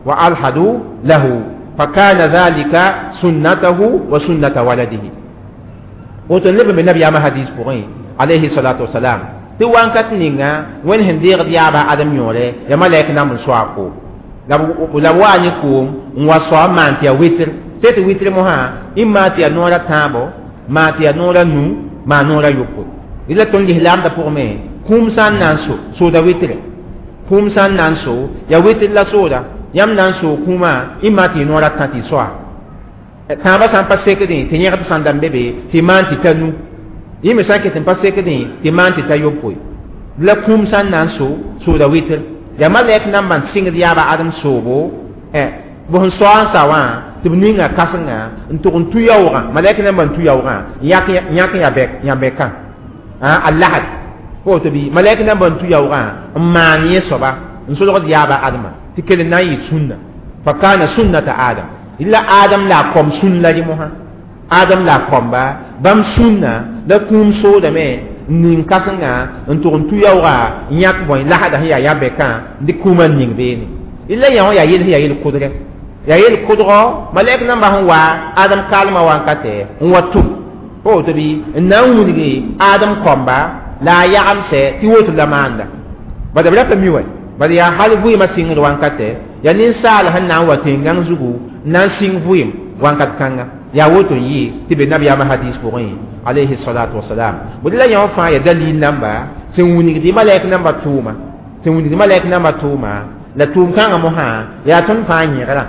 وألحدوا له، فكان ذلك سنته وسنة ولده. وتنبه من النبي ما حديث بغي عليه الصلاة والسلام tɩ wãnkat ninga Wẽnd sẽn deegd yaaba Adem yõore, ya malɛk nam n soa koom la b waa ne koom n wa soa n maan tɩ yaa witr sẽ tɩ witr mosã y maan tɩ yaa noor a tãabo, maan tɩ yaa noor a nu, maan noor a yopoe. La tõnd lislaamdã pʋgme, kũum sã n na n so sooda witre, kũum sã n na n so yaa witr la sooda. Yãmb na n soog kũumã, y maan tɩ y noor a tã tɩ y soa tãabã sã n pa sekdẽ tɩ yẽgd sã n da n be be tɩ maan tɩ ta nu, yẽ me sã n ket n pa sekdẽ tɩ maan tɩ ta yopoe. La kũum sã n na n so sooda witr, yaa malɛk nambã n sɩngd yaaba Adem soobo b sẽn soa n sa wã tɩ b ninga kãsenga n tʋg n tu yaoogã. Malɛk nambã n tu yaoogã n yãk yãbɛkã a lahd pa woto bɩ malɛk nambã n tu yaoogã n maan yẽ soaba n solgd yaaba Ademã tɩ kell n na n yɩ sũnna. Fa kaana sunnata Adam, la Adam la a kõm sũn la rẽ mosã, Adam la a kõmba bãmb sũnna la kũum soodame n ning kãsenga n tʋg n tu yaoogã n yãk bõe lasda sẽn yaa yabɛkã n dɩk kũumã n ning beene. La yã wã yaa yel sẽn yaa yel-kʋdrɛ, yaa yel-kʋdgɔ malɛk nambã sẽn wa Adem kaalmã wankatɛ n wa tʋm pa woto bɩ n na n wilgi Adem kõmba la a yagemsɛ tɩ woto la maanda. Bad b ra pa mi wɛ, bad yaa hal vɩɩmã sɩngd wankatɛ, yaa ninsaal sẽn na n wa tẽn-gãng zugu n na n sɩng vɩɩm wãnkat kãnga. Yaa woto n yɩ tɩ be nabiyaamã hadis pʋgẽ alayhi salatu wasalam. Bd la yã wã fãa yaa dalil namba sẽn wilgd malɛk namba tʋʋma, sẽn wilgd malɛk namba tʋʋma. La tʋʋm kãngã mosã yaa tõnd fãa yẽgrã,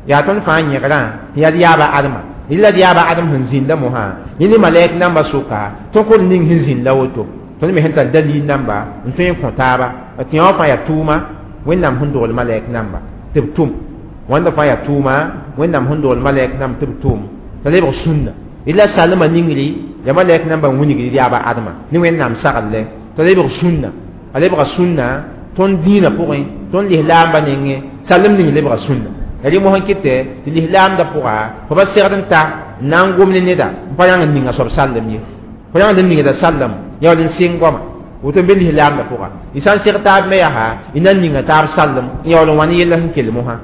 yaa tõnd fãa yẽgrã tɩ yaa d yaaba Ademã. La d yaaba Adem sẽn zĩnda mosã yẽ ne malɛk namba sʋka tõkd ning sẽn zĩnd la woto. Tõnd me sẽn tar dalil namba n tõe n kõ taaba tɩ yã wã fãa yaa tʋʋma Wẽnnaam sẽn dogl malɛk namba tɩ b tʋm. Wãnda fãa yaa tʋʋma Wẽnnaam sẽn dogl malɛk namb tɩ b tʋm t'a lebg sũnna. La salmã ningri yaa malɛk namba n wilgd yaaba Ademã ne Wẽnnaam sagl t'a lebg sũnna, a lebga sũnna tõnd dĩinã pʋgẽ, tõnd lislaambã nengẽ salem ning lebga sũnna. Yaa rẽ mosã n kɩtɛ tɩ lislaamdã pʋga fo pa segd n ta n na n gom ne neda n pa rãng n ninga soab sallem ye, fo rãngd n ningda sallem yaool n sɩng goama woto n be lislaamdã pʋga. Y sã n seg taab me yaa y na n ninga taab sallem n yaool n wa ne yella sẽn kell mosã.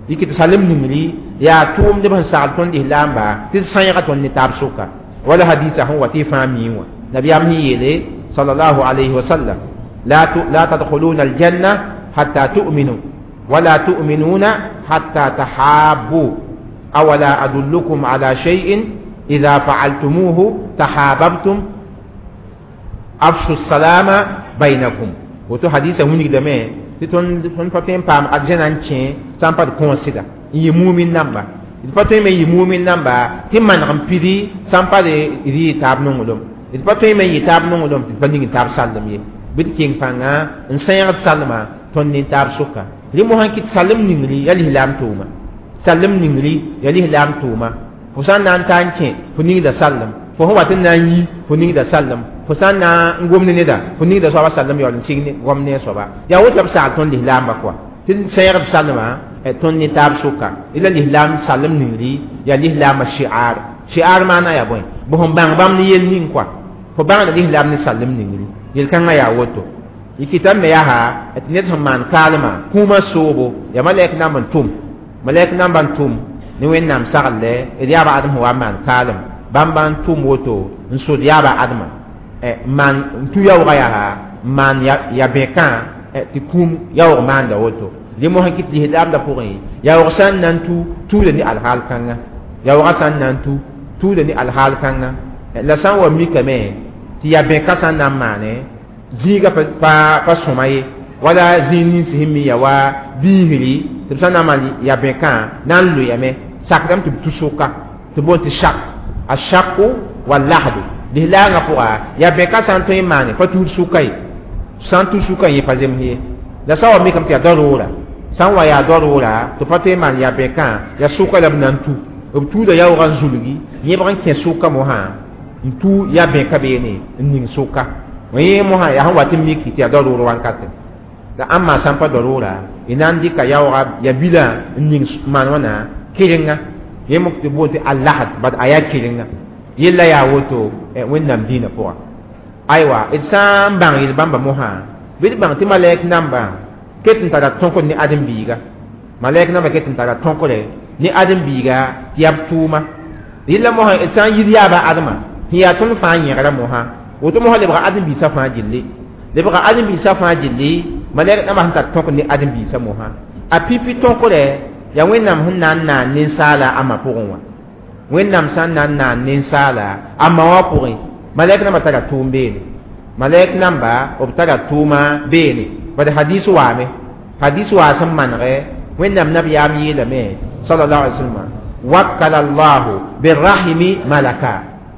Y kɩt salem ningri yaa tʋʋmdb sẽn sagl tõnd lislaamba tɩ d sãyga tõnd ne taab sʋka. Wala hadisa sẽn wa tɩ y fãa mii wã, nabiyaam sẽn yeele sallallahu alayhi wa sallam: لا تدخلون الجنة حتى تؤمنوا ولا تؤمنون حتى تحابوا أولا أدلكم على شيء إذا فعلتموه تحاببتم أفشوا السلام بينكم. woto hadisa wilgdame tɩ tõnd pa tõe n paam arjãna n kẽ sã n pa d kõosda n yɩ mumin namba, d pa tõe me n yɩ mumin namba tɩ maneg n pidi sã n pa d yɩ taab nonglem, d pa tõe me n yɩ taab nonglem tɩ d pa ning taab sallem ye. Bɩ d keng pãnga n sẽegd salma tõnd ne taab sʋka. Rẽ mosã n kɩt salem ningri yaa lislaam tʋʋma, salem ningri yaa lislaam tʋʋma. Fo sã n na n ta n kẽ, fo ningda sallem, fo sẽn wat n na n yi, fo ningda sallem, fo sã n na n gom ne neda, fo ningda soaba sallem yaool n sig gom ne a soaba. Yaa woto la b sagl tõnd lislaambã kɔa tɩ d sẽegd salmã tõnd ne taab sʋka. La lislaam salem ningri yaa lislaamã shi'ar. Shi'ar maana yaa bõe? Bõ sẽn bãng bãmb ne yel ning kɔa fo bãngda lislaam ne salem ningri yel-kãngã yaa woto. Y kɩta me yaa tɩ ned sẽn maan kaalmã kũumã soobo yaa malɛk namb n tʋm, malɛk namba n tʋm ne Wẽnnaam sagl d yaaba Adem sẽn wa n maan kaalem bãmba n tʋm woto n sod yaaba Ademã n maan n tu yaoogã yaa n maan ya bẽkã tɩ kũum yaoog maanda woto. Rẽ mosã kɩt lislaamdã pʋgẽ yaoog sã n na n tu tuuda ne alhaal kãnga, yaoogã sã n na n tu Tuuda ne alhaal kãnga la sã n wa mikame tɩ yaa bẽka sã n na n maane zĩiga pa sõma ye wala zĩig nins sẽn mi ya wa biisri tɩ b sã n na n maan ya bẽkã na n loyame sakdame tɩ b tu sʋka tɩ boond tɩ shak a shaku wa lahdu lislaangã pʋga yaa bẽka sã n tõe n maane pa tuud sʋka ye sã n tu sʋka yẽ pa zems ye la sã n wa mikame tɩ yaa daroora sã n wa yaa daroora tɩ pa tõe n maan yaa bẽkã yaa sʋka la b na n tu b tuuda yaoogã n zulgi yẽbg n kẽ sʋka mosã n tu ya bẽka beene n ning sʋka yẽ mosã yaa sẽn wat n miki tɩ yaa daroor wankate la ãmba sã n pa daroora y na n dɩka yaoogã ya bilã n ning maan wãna kɩrenga yẽ mok tɩ boond tɩ alahd bad a yaa kɩrenga yella yaa woto wẽnnaam dĩinã pʋga aywa d sã n bãng yel bãmba mosã bɩ d bãng tɩ malɛk namba ket n tara tõkd ne ãdem-biiga malɛk namba ket n tara tõkre ne ãdem-biiga tɩ yaa b tʋʋma yella mosã d sã n yid yaaba adma sẽn yaa tõnd fãa yẽgra mosã woto mosã lebga ãdem-biisã fãa gilli lebga ãdem-biisã fãa gilli malɛk namba sẽn tar tõkd ne ãdem-biisã mosã a pipi tõkre yaa wẽnnaam sẽn na n naan ninsaala a ma pʋgẽ wã wẽnnaam sã n na n naan ninsaala a ma wã pʋgẽ malɛk namba tara tʋʋm beene malɛk namba b tara tʋʋma beene bad hadis waame hadis waa sẽn manegɛ wẽnnaam nabiyaam yeelame sallallahu alaihi wasallam wakkala allahu birrahimi malaka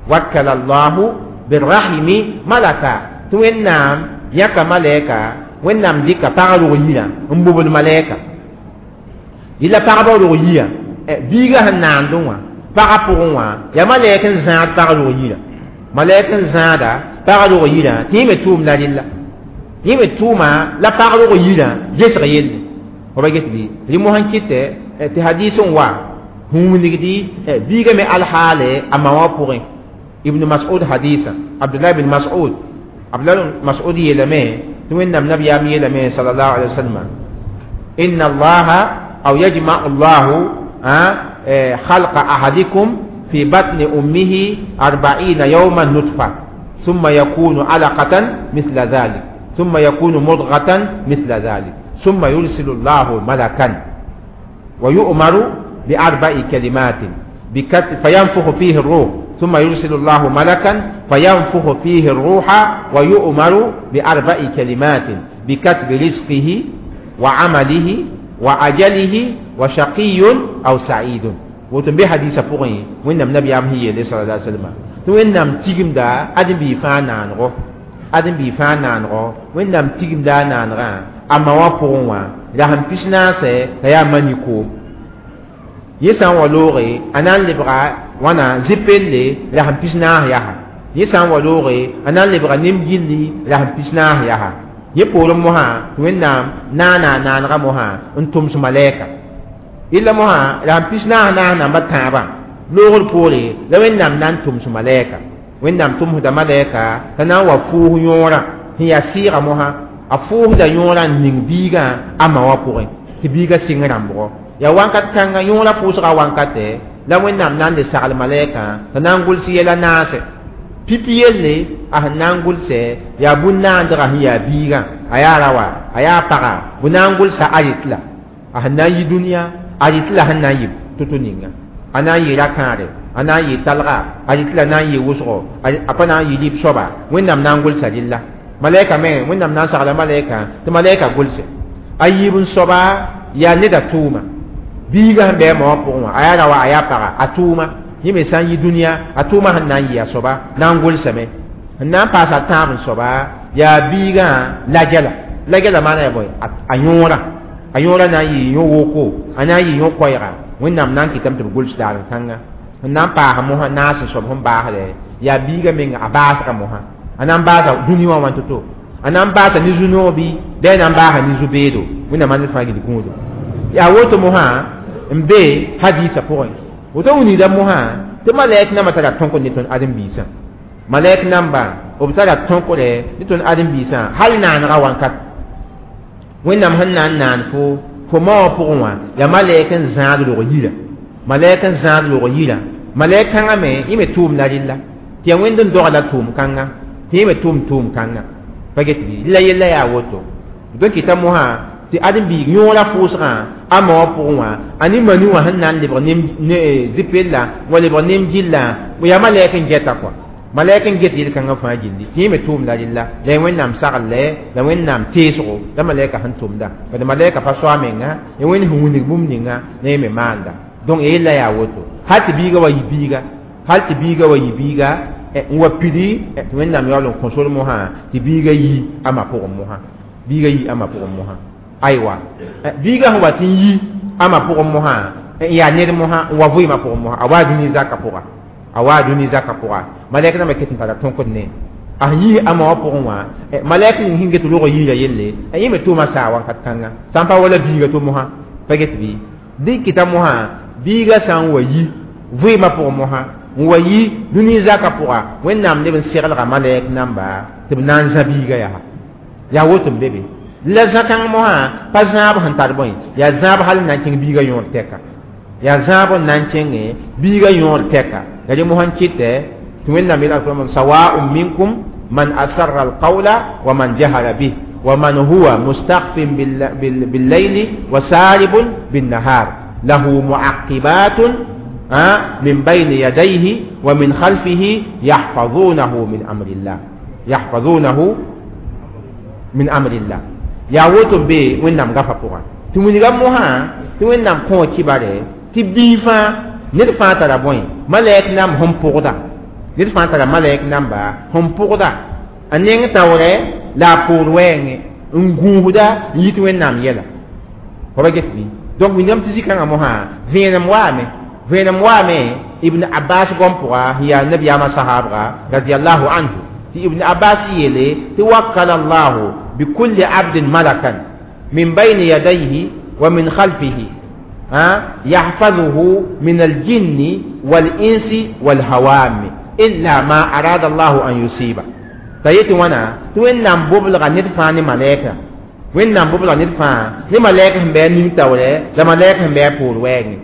wakkala allahu birrahimi malaka tɩ wẽnnaam yãka malɛka wẽnnaam dɩka pag rog yirã n bobd malɛka yella pagba rog yirã biiga sẽn naandẽ wã pagã pʋgẽ wã yaa malɛk n zãad pag rog yirã malɛk n zãada pag rog yirã tɩ yẽ me tʋʋm la rella yẽ me tʋʋma la pag rog yirã gesg yelle fo ba get bɩ rɩ mosã n kɩtɛ tɩ hadis n wa wilgdi biiga me alhaale a ma wã pʋgẽ ibn mas'ud hadisa abdullah bin mas'ud abdullah bin mas'ud yeelame tɩ wẽnnaam nabiyaam yeelame sallallahu alaihi wasallam inna allaha aw yajma'u allahu خلق أحدكم في بطن أمه 40 يوما نطفة ثم يكون علقة مثل ذلك ثم يكون مضغة مثل ذلك ثم يرسل الله ملكا ويؤمر بأربع كلمات فينفخ فيه الروح ثم يرسل الله ملكا فينفخ فيه الروح ويؤمر بأربع كلمات بكتب رزقه وعمله وأجله وشقي أو سعيد woto be hadisa pʋgẽ wẽnnaam nabiyaam sẽn yeele sala alaihi wasallam tɩ wẽnnaam tigimda ãdem-biig fãa naanego ãdem-biig fãa naanego wẽnnaam tigimda a naanegã a ma wã pʋgẽ wã rasem pis-naasɛ t'a yaa mani koom yẽ sã n wa looge a na n lebga wãna zɩ-pelle rasem pis-naas yaa yẽ sã n wa looge a na n lebga nem-gilli rasem pis-naas yaa yẽ poorẽ mosã tɩ wẽnnaam naana a naanegã mosã n tʋms malɛka illa mosã rasem pis-naas naas namba tãabã loogr poore la wẽnnaam na n tʋms malɛka wẽnnaam tʋmsda malɛka t'a na n wa fʋʋs yõorã sẽn yaa sɩɩga mosã a fʋʋsda yõorã n ning biigã a ma wã pʋgẽ tɩ biigã sɩng rãmbgo yaa wãnkat kãngã yõorã pʋʋsga wankatɛ la wẽnnaam na n le sagl malɛkã t'a na n gʋls yɛla naasɛ pipi yelle a sẽn na n gʋlsɛ yaa bũn-naandgã sẽn yaa biigã a yaa rawa a yaa paga bʋ na n gʋlsa a yetla a sẽn na n yi dũniyã a yetla sẽn na n yɩ to-to ninga a na n yɩ ra-kãare a na n yɩ talga a yetla na n yɩ wʋsgo a pa na n yɩ lib soaba wẽnnaam na n gʋlsa rella malɛka me wẽnnaam na n sagla malɛka tɩ malɛka gʋlse a yiib n soaba yaa neda tʋʋma biigã sẽn bɩ a ma wã pʋgẽ wã a yaa rawa a yaa paga a tʋʋma yẽ me sã n yi dũniyã a tʋʋma sẽn na n yɩ a soaba na n gʋlsame n na n paasa tãab n soaba yaa biigã lagɛla lagɛla maana yaa bõe a yõorã a yõorã na n yɩ yõ-woko a na n yɩ yõ-koɛɛga wẽnnaam na n kɩtame tɩ b gʋls daar n kãnga n na n paas mosã naas n soab sẽn baasdɛ yaa biigã menga a baasga mosã a na n baasa dũni wã wãn to-to a na n baasa ne zu-noog bɩ bɩ a na n baasa ne zu-beedo wẽnnaam a ned fãa gil gũudo yaa woto mosã n be hadiisã pʋgẽ woto wilgda mosã tɩ malɛk nambã tara tõkd ne tõnd ãdem-biisã malɛk namba b tara tõkre ne tõnd ãdem-biisã hal naanegã wãnkat wẽnnaam sẽn na n naan fo ma wã pʋgẽ wã yaa malɛk n zãad rog yirã malɛk n zãad rog yirã malɛk kãngã me yẽ me tʋʋm la rella tɩ yaa wẽnd n dog la tʋʋm kãnga tɩ yẽ me tʋʋm tʋʋm kãnga pa get bɩ la yella yaa woto b tõe n kɩta mosã Tɩ ãdem-biig yõora pʋʋsgã a ma wã pʋgẽ wã a ne mani wã sẽn na n lebg zipellã wa lebg nem gillã yaa malɛk n gɛta kɔa malɛk n get yel-kãngã fãa gilli tɩ yẽ me tʋʋmda rella la Wẽnnaam sagl la Wẽnnaam teesgo la malɛka sẽn tʋmda bad malɛka pa soa menga ya Wẽnd sẽn wilg bũmb ninga la yẽ me maanda donc yella yaa woto hal tɩ biiga wa yɩ biiga hal tɩ biiga wa yɩ biiga n wa pidi tɩ Wẽnnaam yaool n kõ sor mosã tɩ biiga yi a ma pʋgẽ mosã biiga yi a ma pʋgẽ mosã aywa biiga sẽn wa tɩ n yi a ma pʋgẽ mosã n yaa ned mosã n wa vɩɩmã pʋgẽ mosã a waa dũni zakã pʋga a waa dũni zakã pʋga malɛk rãmbã ket n tara tõkd ne a sẽn yis a ma wã pʋgẽ wã malɛk ning sẽn get rog yiira yelle yẽ me tʋʋma saa wakat kãnga sã n pa wala biiga to mosã pa get bɩ dɩ kɩta mosã biiga sã n wa yi vɩɩmã pʋgẽ mosã n wa yi dũni zakã pʋga Wẽnnaam leb n seglga malɛk namba tɩ b na n zã biiga yaa yaa woto n be be la zã-kãng mosã pa zãab sẽn tar bõe yaa zãab hal n na n kẽng biiga yõor tɛka yaa zãab n na n kẽngẽ biiga yõor tɛka la dẽ mosã n kɩtɛ tɩ Wẽnnaam yel alqur'an sawaun minkum man asarra alqawla wa man jahara bih wa man huwa mustakhfin billayli wa saribun binnahar lahu muaqibatun min bayni yadayhi wa min khalfihi yahfazunahu min amrillah yahfazunahu min amrillah yaa woto n be Wẽnnaam gafa pʋga tɩ wilga mosã tɩ Wẽnnaam kõ kibare tɩ bii fãa ned fãa tara bõe malɛk namb sẽn pʋgda ned fãa tara malɛk namba sẽn pʋgda a neng taoorɛ la a poor wɛɛngẽ n gũusda n yit Wẽnnaam yɛla fa ba get bɩ donc wilgame tɩ zĩ-kãngã mosã vẽenem waame vẽenem waame Ibn Abbas gom pʋga sẽn yaa nabiyaamã sahaabga radiallahu anhu tɩ Ibn Abbas yeele tɩ wakkala Allahu بكل عبد ملكا من بين يديه ومن خلفه يحفظه من الجن والإنس والهوام إلا ما أراد الله أن يصيب تيتي وانا توين نام بوبلغ ندفعني ملائكة وين نام بوبلغ ندفع ني ملائكة هم بيان نين تاولي لا ملائكة هم بيان بور وين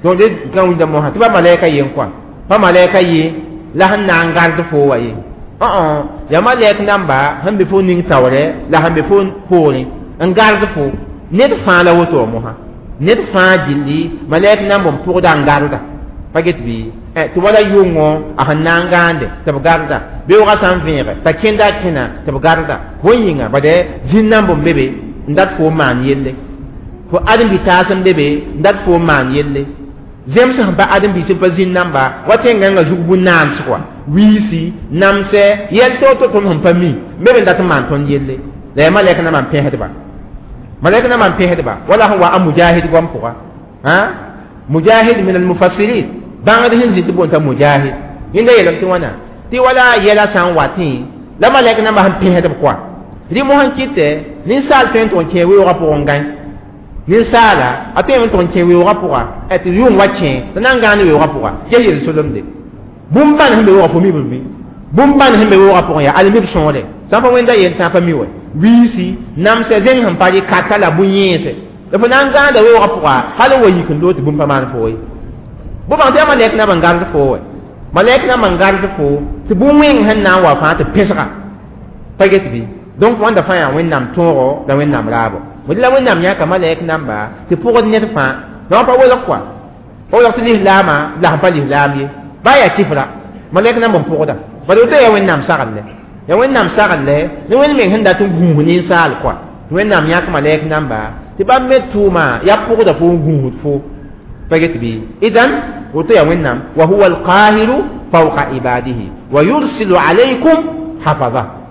donc de kan wida mo ha tiba malaika yen quoi pa malaika ye la han na ngar de fo wa ye ya malɛk namba sẽn be fo ning taoorɛ la sẽn be fo poorẽ n gard fo ned fãa la woto wã mosã ned fãa gilli malɛk namb n pʋgda n garda pa get bɩ tɩ wala yʋngõ a sẽn na n gãande tɩ b garda beoogã sã n vẽege t'a kẽnda a kẽna tɩ b garda bõe yĩnga bade zĩn namb n be be n dat fo n maan yelle fo ãdem-bi-taas n be be n dat fo n maan yelle zems sẽn pa ãdem-biis n pa zĩn namba wa tẽn-gãngã zug bũn-naans kɔa wiisi namsɛ yɛl to-to tõnd sẽn pa mi n be be n dat n maan tõnd yelle la yaa malɛk nambã n pẽsdba malɛk nambã n pẽsdba wala sẽn wa a Mujahid goam pʋga Mujahid min almufassirin bãngd sẽn zĩ tɩ boond t'a Mujahid yẽnda yeelame tɩ wãna tɩ wala yɛla sã n watẽ la malɛk nambã sẽn pẽsdb kɔa rɩ mosã n kɩtɛ ninsaal tõe n tʋg n kẽ weoogã pʋgẽ n gãe ninsaala a tõe n tʋg n kẽ weoogã pʋga tɩ yʋng wa kẽ t'a na n gãand weoogã pʋga ges yel-solemde bũmb bãn sẽn be weoogã fo mi b mi bũmb bãn sẽn be weoogã pʋgẽ yaa almib sõore sã n pa wẽnda yel tã pa mi wɛ wiisi namsɛ zẽng sẽn pa rɩ kata la bũ-yẽese la fo na n gãanda weoogã pʋga hal n wa yik n loog tɩ bũmb pa maan fo ye bõ bãng tɩ yaa malɛk namba n gard fo wɛ malɛk namba n gard fo tɩ bũn-wẽng sẽn na n wa fãa tɩ pẽsga pa get bɩ donc wãnda fãa yaa Wẽnnaam tõogo la Wẽnnaam raabo la Wẽnnaam yãka malɛk namba tɩ pʋgd ned fãa la wã pa welg kɔa pa welg tɩ lislaamã la sẽn pa lislaam ye baa yaa kifra malɛk namba n pʋgda bala woto yaa Wẽnnaam sagl yaa Wẽnnaam sagl ne Wẽnd meng sẽn dat n gũus ninsaal kɔa tɩ Wẽnnaam yãk malɛk namba tɩ bãmb me tʋʋma yaa pʋgda fo n gũusd fo pa get bɩ idan woto yaa Wẽnnaam wa huwa alqahiru fawqa ibadihi wa yursilu alaykum hafaza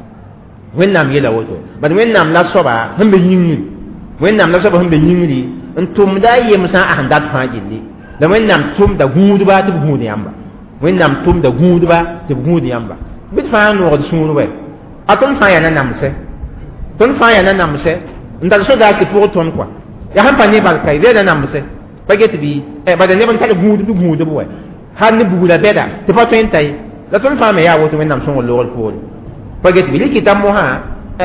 Wẽnnaam yeela woto bad Wẽnnaam la soaba sẽn be yĩngri Wẽnnaam la soaba sẽn be yĩngri n tʋmda a yemsã a sẽn dat fãa gilli la Wẽnnaam tʋmda gũudba tɩ b gũud yãmba Wẽnnaam tʋmda gũudba tɩ b gũud yãmba bɩ d fãa noogd sũur wɛ a tõnd fãa yaa nanamsɛ tõnd fãa yaa nanamsɛ n tar sodaas tɩ pʋg tõnd kɔa yaa sẽn pa ne bal ka ree nanamsɛ pa get bɩ bala neb n tar gũudb gũudb wɛ hal ne bugla bɛda tɩ pa tõe n ta ye la tõnd fãa me yaa woto Wẽnnaam sõngr loogr poore pa get bɩ rɩkɩta mosã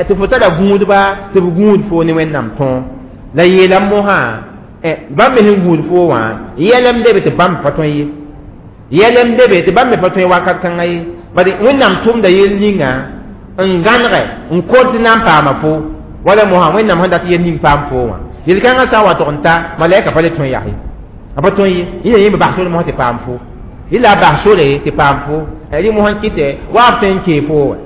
tɩ fo tara gũudba tɩ b gũud fo ne Wẽnnaam tõog la yeelam mosã bãmb me sẽn gũud fo wã yɛlem lebe tɩ bãmb pa tõe ye yɛlem lebe tɩ bãmb me pa tõe wakat kãngã ye bad Wẽnnaam tʋmda yel ninga n gãnegɛ n kot tɩ na n paama fo Wala mosã Wẽnnaam sẽn dat yel ning paam foo wã yel-kãngã sã n wa tog n ta malɛka pa le tõe yaa ye a pa tõe ye yẽ yẽ me bas sore mosã tɩ paam fo yɩ la a bas sore tɩ paam fo rɩ mosã n kɩtɛ wa b tõe n kee foo wã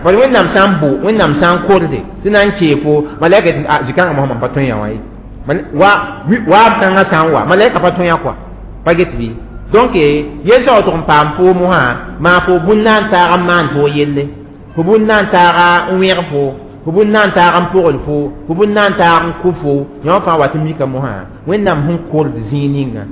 bala Wẽnnaam sã n bo Wẽnnaam sã n korde tɩ na n kee fo malɛka tɩ zĩ-kãngã mosã mam pa tõe yã wã ye wa b kãngã sã n wa malɛka pa tõe yã kɔa pa get bɩ donc yel sã wa tʋg n paam foo mosã maa fo bũn na n taag n maan fo yelle fo bũn na n taaga n wẽg fo fo bũn na n taag n pogl fo fo bũn na n taag n kʋ fo yã fãa wat n mika mosã Wẽnnaam sẽn kord zĩig ninga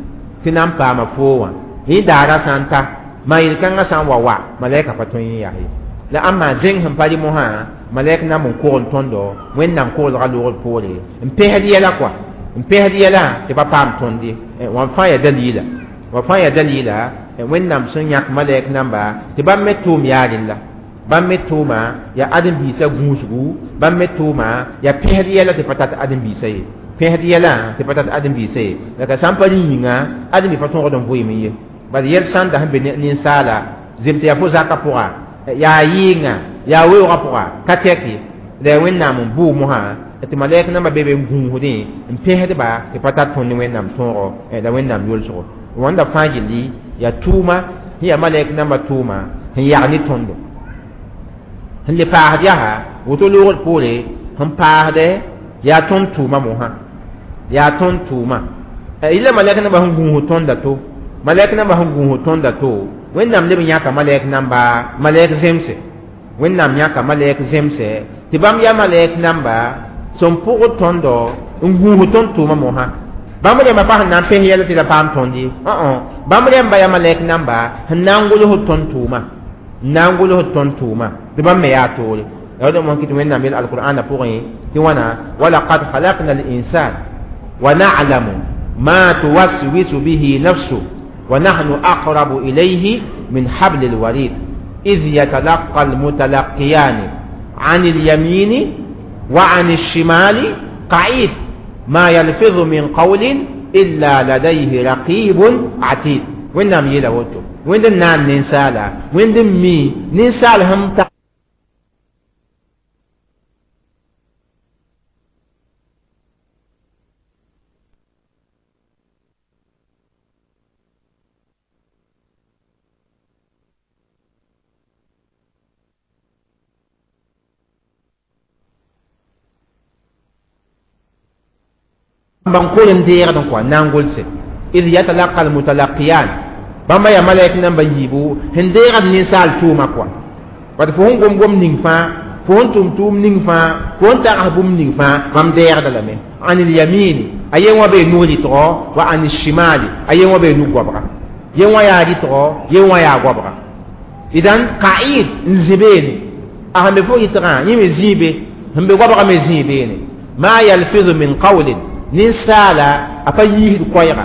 tɩ na n paama foo wã yẽ daara sã n ta maa yel-kãngã sã n wa wa malɛka pa tõe n yaa ye la ãmba zẽng sẽn pa rɩ mosã malɛk nam n kogl tõndo Wẽnnaam koglga loogd poore n pẽsd yɛla kɔa n pẽsd yɛla tɩ pa paam tõnd ye wã fãa yaa dalila wa fãa yaa dalila Wẽnnaam sẽn yãk malɛk namba tɩ bãmb me tʋʋm yaa rella bãmb me tʋʋma yaa ãdem-biisã gũusgu bãmb me tʋʋma yaa pẽsd yɛla tɩ pa tat ãdem-biisã ye pẽsd yɛlã tɩ pa tat ãdem-biisã ye la ka sã n pa rẽ yĩnga ãdem-bi pa tõgd n vʋɩɩm ye bala yɛl sãnda sẽn be ninsaala zem tɩ yaa fo zakã pʋga yaa yɩɩngã yaa weoogã pʋga ka tɛk ye la yaa Wẽnnaam n bʋʋ mosã tɩ malɛk nambã be be n gũusdẽ n pẽsdba tɩ pa tar tõnd ne Wẽnnaam tõogo la Wẽnnaam yolsgo wãnda fãa gilli yaa tʋʋma sẽn yaa malɛk nambã tʋʋma sẽn yag ne tõndo sẽn le paasd yaa woto loogd poore sẽn paasdɛ yaa tõnd tʋʋma mosã yaa tõnd tʋʋma yɩla malɛk nambã sẽn gũus tõnda to malɛk nambã sẽn gũus tõnda to Wẽnnaam leb n yãka malɛk namba malɛk zemse Wẽnnaam yãka malɛk zemse tɩ bãmb yaa malɛk namba sẽn pʋgd tõndo n gũus tõnd tʋʋma mosã bãmb rẽmbã pa sẽn na n pẽs yɛl tɩ la paam tõnd ye bãmb rẽmba yaa malɛk namba sẽn na n gʋls tõnd tʋʋma n na n gʋls tõnd tʋʋma tɩ bãmb me yaa toore la d mosã kɩ tɩ Wẽnnaam yel alqur'ana pʋgẽ tɩ wãna walaqad khalaqna al-insan wa na'lamu ma tuwaswisu bihi nafsu wa nahnu aqrabu ilayhi min habl al-warid idh yatalaqa al-mutalaqiyani 'an al-yamini wa 'an al-shimali qa'id ma yalfidhu min qawlin illa ladayhi raqibun 'atid Wẽnnaam yeela woto Wẽnd n naan ninsaala Wẽnd n mi ninsaal sẽn ta ban kol n deegd n kɔa n na n gʋlse id yatalaqa almutalaqiyan bãmba yaa malɛk namba yiibu sẽn deegd ninsaal tʋʋma kɔa bat fo sẽn gom-gom ning fãa fo sẽn tʋm tʋʋm ning fãa fo sẽn tags bũmb ning fãa bãmb deegda lame an ilyamini a yen wã bee nug rɩtgɔ wa an shimali a yen wã bee nug goabga yen wã yaa rɩtgɔ yen wã yaa goabga idan qa'id n zĩ beene a sẽn be fo rɩtgã yẽ me zĩi be sẽn be goabga me zĩi beene ma yalfizu min qawlin ninsaala a pa yiisd koɛɛga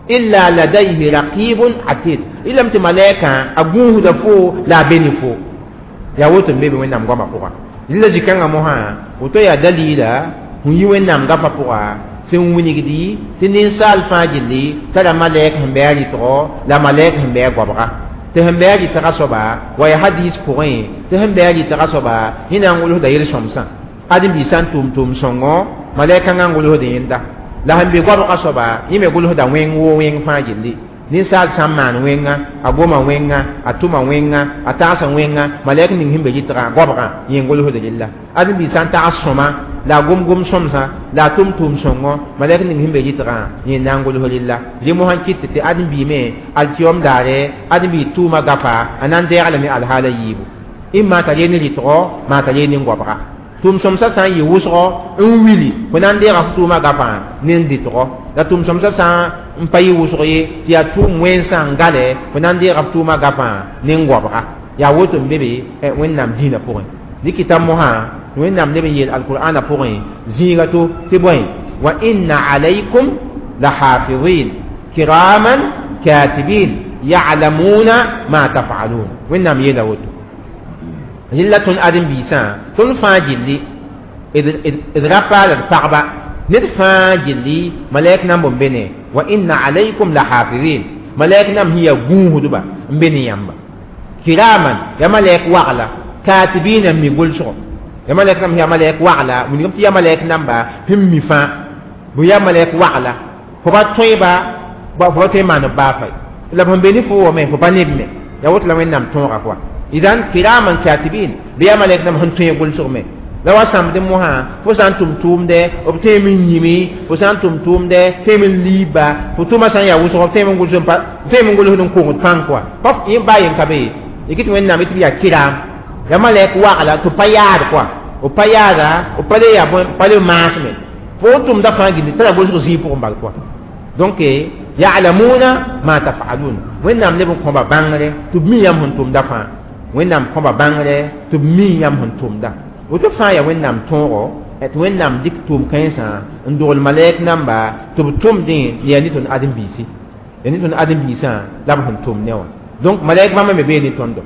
illa ladayhi raqibun atid ilame tɩ malɛkã a gũusda fo la a be ne fo yaa woto n be be Wẽnnaam goamã pʋga rɩla zĩ-kãngã mosã woto yaa dalila sẽn yi Wẽnnaam gafã pʋga sẽn wilgdi tɩ ninsaal fãa gilli tara malɛk sẽn bɩ a rɩtgɔ la malɛk sẽn bɩ a goabga tɩ sẽn bɩ a rɩtgã soaba wa yaa hadis pʋgẽ tɩ sẽn bɩ a rɩtgã soaba yẽ na n gʋlsda yel-sõmsã ãdem-biis sã n tʋm tʋʋm sõngo malɛk kãngã n gʋlsd yẽnda la sẽn be goabgã soaba yẽ me gʋlsda wẽng woo wẽng fãa gilli ninsaal sã n maan wẽnga a goma wẽnga a tʋma wẽnga a tagsa wẽnga malɛk ning sẽn be rɩtgã goabgã yẽ n gʋlsd rella ãdem-biis sã n tags sõma la a gom-gom sõmsã la a tʋm tʋʋm sõngo malɛk ning sẽn be rɩtgã yẽ na n gʋls rella rẽ mosã n kɩt tɩ ãdem-biime alkiyom daare ãdem-biis tʋʋma gafa a na n deeg lame alhaala yiibu ɩmma t'a yee ne rɩtgɔ maa t'a yee ne goabga tʋʋm sõmsã sã n yɩ wʋsgɔ n wili fo na n deega f tʋʋmã gafã ne n dɩtgɔ la tʋʋm sõmsã sã n pa yɩ wʋsg ye tɩ yaa tʋʋm wẽnsã n gale fo na n deega f tʋʋmã gafã ne n goabga yaa woto n be be Wẽnnaam dĩinã pʋgẽ dɩkɩta mosã Wẽnnaam leb n yeel alqur'ana pʋgẽ zĩiga to tɩ bõe wa inna alaykum la hafizin kiraman katibin ya'lamuna ma taf'alun Wẽnnaam yeela woto rɩla tõnd ãdem-biisã tõnd fãa gilli d ra paal d pagba ned fãa gilli malɛk namb n be ne wa inna alaykum la hafizin malɛk nam sẽn yaa gũusdba n be ne yãmba kiraman ya malɛk wagla katibina n mi gʋlsgo Ya malɛk namba yaa malɛk wagla wilgame tɩ ya malɛk namba sẽn mi fãa bʋ ya malɛk wagla fo pa tõeba fo pa tõe n maan b baa fa la b sẽn be ne fo wame fo pa neb me ya woto la Wẽnnaam tõoga koa idan kiraman katibin bɩ yaa malɛk namba sẽn tõe gʋlsg me la wa sãmbd mosã fo sã n tʋm tʋʋmdɛ b tõeme n yĩme fo sã n tʋm tʋʋmdɛ tõeme n liiba fo tʋʋmã sã n yaa wʋsg b tõeme n gʋlsd n kongd pãng koa pa yẽ baa yen ka be ye kɩ tɩ Wẽnnaam tɩ b yaa kiram ya malɛk wagla tɩ pa yaad koa b pa yaada b pa le yaa pa le maasme fo n tʋmda fãa gilli t'a la gʋlsg zĩig pʋgẽ bal koa donc ya'lamuna ma taf'alun Wẽnnaam leb n kõba bãngre tɩ b mi yãmb sẽn tʋmda fãa Wẽnnaam kõba bãngre tɩ b mi yãmb sẽn tʋmda woto fãa yaa Wẽnnaam tõogo tɩ Wẽnnaam dɩk tʋʋm-kãensã n dogl malɛk namba tɩ b tʋmdẽ yaa ne tõnd ãdem-biisi yaa ne tõnd ãdem-biisã la b sẽn tʋm ne wã donc malɛk bãmba me bee ne tõndo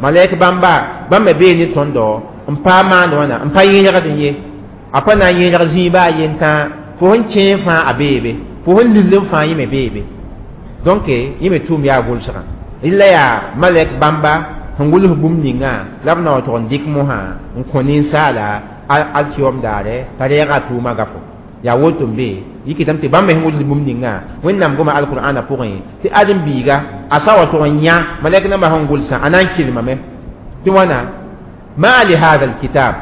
malɛk bãmba bãmb me bee ne tõndo n pa maand wãna n pa yẽlgd ye a pa na n yẽlg zĩig baa yentã fo sẽn kẽe fãa a beebe fo sẽn lill n fãa yẽ me beebe donc yẽ me tʋʋm yaa gʋlsgã rɩla yaa malɛk bãmba sẽn gʋls bũmb ninga la b na wa tog n dɩk mosã n kõ ninsaala alkiyom daare t'a reega a tʋʋmã gafo yaa woto n be yikɩtame tɩ bãmb me sẽn gʋls bũmb ninga Wẽnnaam goma alqur'ana pʋgẽ tɩ ãdem-biiga a sa wa tog n yã malɛk nambã sẽn gʋlsã a na n kelmame tɩ wãna ma li hada alkitab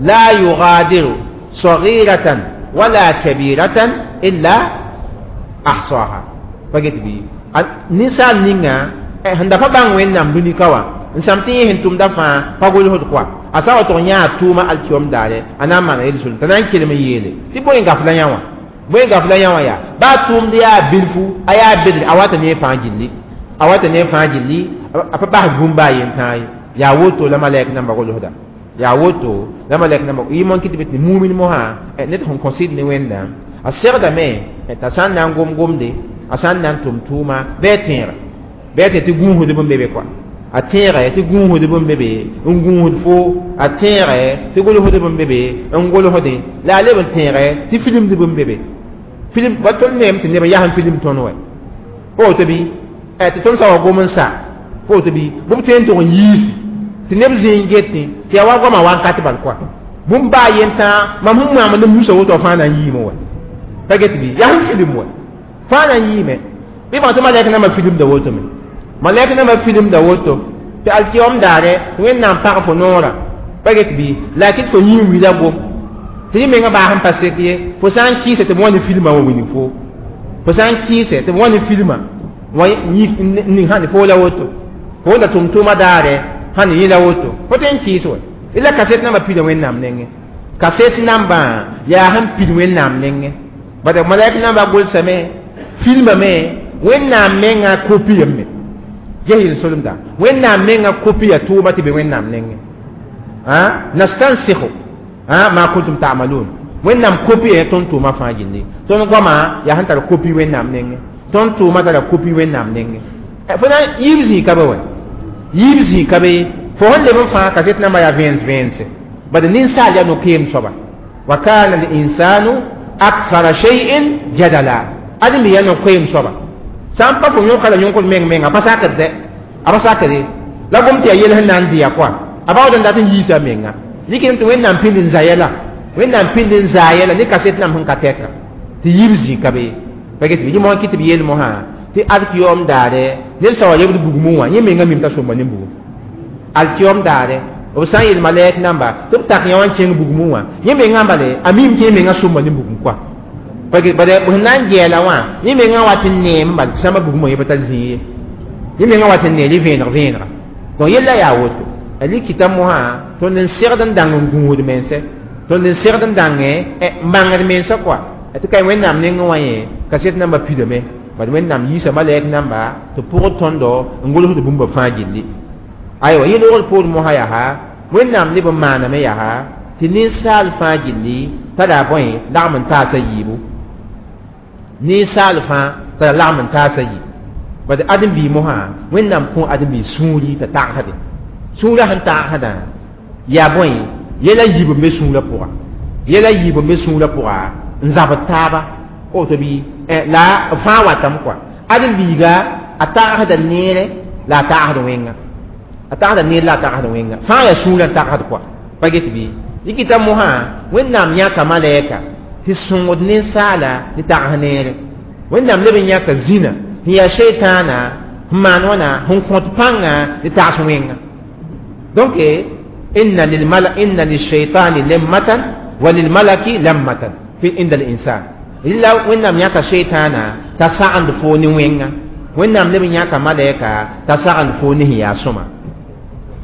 la yugadiru صغيرة ولا كبيرة إلا أحصاها pa get bɩ ninsaal ninga sẽn da pa bãng Wẽnnaam dũni ka wã n sãm tɩ yẽ sẽn tʋmda fãa pa gʋlsd koa a sa wa tʋg yã a tʋʋma alkiyom daare a na n maana yel-solem t'a na n kelem n yeele tɩ bõe n gaf la yã wã bõe n gaf la yã wã yaa baa tʋʋmd yaa bilfu a yaa bedre a wata ne fãa gilli a wata ne fãa gilli a pa bas bũmb baa yentãa ye yaa woto la malɛk namba gʋlsda yaa woto la malɛk namba yɩ mon kɩ tɩ tɩ mumin mosã ned sẽn kõ sɩd ne Wẽnnaam a segdame t'a sã n na n gom gomde a sã n na n tʋm tʋʋma bɩ a tẽega bɩ a tɩ gũusdb n be be koa a tẽegɛ tɩ gũusdb n be be n gũusd fo a tẽegɛ tɩ gʋlsdb n be be n gʋlsdẽ la a leb n tẽegɛ tɩ filimdb n be be filim wa tõnd neem tɩ neb yas n filim tõnd wɛ pa woto bɩ tɩ tõnd sa wa gom n sa pa woto bɩ bʋb tõe n tʋg n yiisi tɩ neb zĩig n getẽ tɩ yaa wa goamã wakat bal koa bũmb baa yentã mam sẽn moam ne musa woto fãa na n yiime wɛ pa get bɩ yaa sẽn filim wɛ fãa na n yiime bɩ bã tɩ malɛk nambã filimda woto me malɛk nambã filimda woto tɩ alkiyom daare Wẽnnaam pag fo noorã pa get bɩ la a kɩt fo yĩn wila gom tɩ yẽ mengã baa sẽn pa sek ye fo sã n kɩɩsɛ tɩ b wa ne filmã wã wilg fo fo sã n kɩɩsɛ tɩ b wa ne filmã wã ning sãn fo la woto fo la tʋm-tʋʋmã daare sãn yẽ la woto fo tõe n kɩɩs wɛ la kaset nambã pida Wẽnnaam nengẽ kaset nambã yaa sẽn pid Wẽnnaam nengẽ bala malɛk nambã gʋlsame filmame Wẽnnaam menga kopiyame ges yel-solemda Wẽnnaam menga kopiya tʋʋma tɩ be Wẽnnaam nengẽ nastansikhu ma kuntum ta'malun Wẽnnaam kopiya tõnd tʋʋma fãa gilli tõnd goama yaa sẽn tar kopi Wẽnnaam nengẽ tõnd tʋʋma tara kopi Wẽnnaam nengẽ fo na yiib zĩig ka be wɛ yiib zĩig ka be fo sẽn leb n fãa kaset nambã yaa vẽens vẽense bad ninsaal yaa no-keem soaba wa kana linsanu akthara shay'in jadala ãdem yaa no-koeem soaba sã n pa fo yõka la yõkd meng menga pa sakd dɛ a pa sakde la gom tɩ yaa yel sẽn na n dɩya koa a baood n dat n yiisa menga rɩkɩdame tɩ Wẽnnaam pĩnd n za yɛla Wẽnnaam pĩnd n zaa yɛla ne kaset nam sẽn ka tɛka tɩ yiib zĩig ka be pa get bɩ yẽ mosã kɩ tɩ b yeel mosã tɩ alkiyom daare ned sã wa lebd bugmẽ wã yẽ menga mim t'a sõmba ne bugum alkiyom daare b sã n yeel malɛk namba tɩ b tak yã wã n kẽng bugmẽ wã yẽ mengã bale a mim tɩ yẽ menga sõmba ne bugum koa bala b sẽn na n gɛɛla wã yẽ mengã wat n neem bal sãmba bugmã yẽ pa tar zĩig ye yẽ mengã wat n nee vẽeneg vẽenega donc yella yaa woto a likita mosã tõnd n segd n dãng n gũud mense tõnd n segd n dãngẽ n bãngd mensã koa tɩ ka Wẽnnaam nengẽ wã yẽ kaset nambã pidame bad Wẽnnaam yiisa malɛk namba tɩ pʋgd tõndo n gʋlsd bũmba fãa gilli aywa yẽ loogd poor mosã yaa Wẽnnaam leb n maaname yaa tɩ ninsaal fãa gilli tara bõe lagm n taasa yiibu ninsaal fãa tara lagm n taasa yi bad ãdem-biig mosã Wẽnnaam kõ ãdem-biig sũuri t'a tagsde sũurã sẽn tagsdã yaa bõe yɛla yiib n be sũurã pʋga yɛla yiib n be sũurã pʋga n zabd taaba woto bɩ la b fãa watame koa ãdem-biiga a tagsda neere la a tagsd wẽnga a tagsda neer la a tagsd wẽnga fãa yaa sũurã n tagsd koa pa get bɩ Dɩkɩta mosã Wẽnnaam yãka malɛka tɩ sõngd ninsaala tɩ tags neere. Wẽnnaam leb n yãka zĩna sẽn yaa sheitaana n maan wãna sẽn kõt pãnga tɩ tags wẽnga. Donc inna lilmala inna lilshaitani lemmatan wa lilmalaki lammatan fi inda linsan. Rɩla Wẽnnaam yãka sheitaana t'a sagend foo ne wẽnga. Wẽnnaam leb n yãka malɛka t'a sagend foo ne sẽn yaa sõma.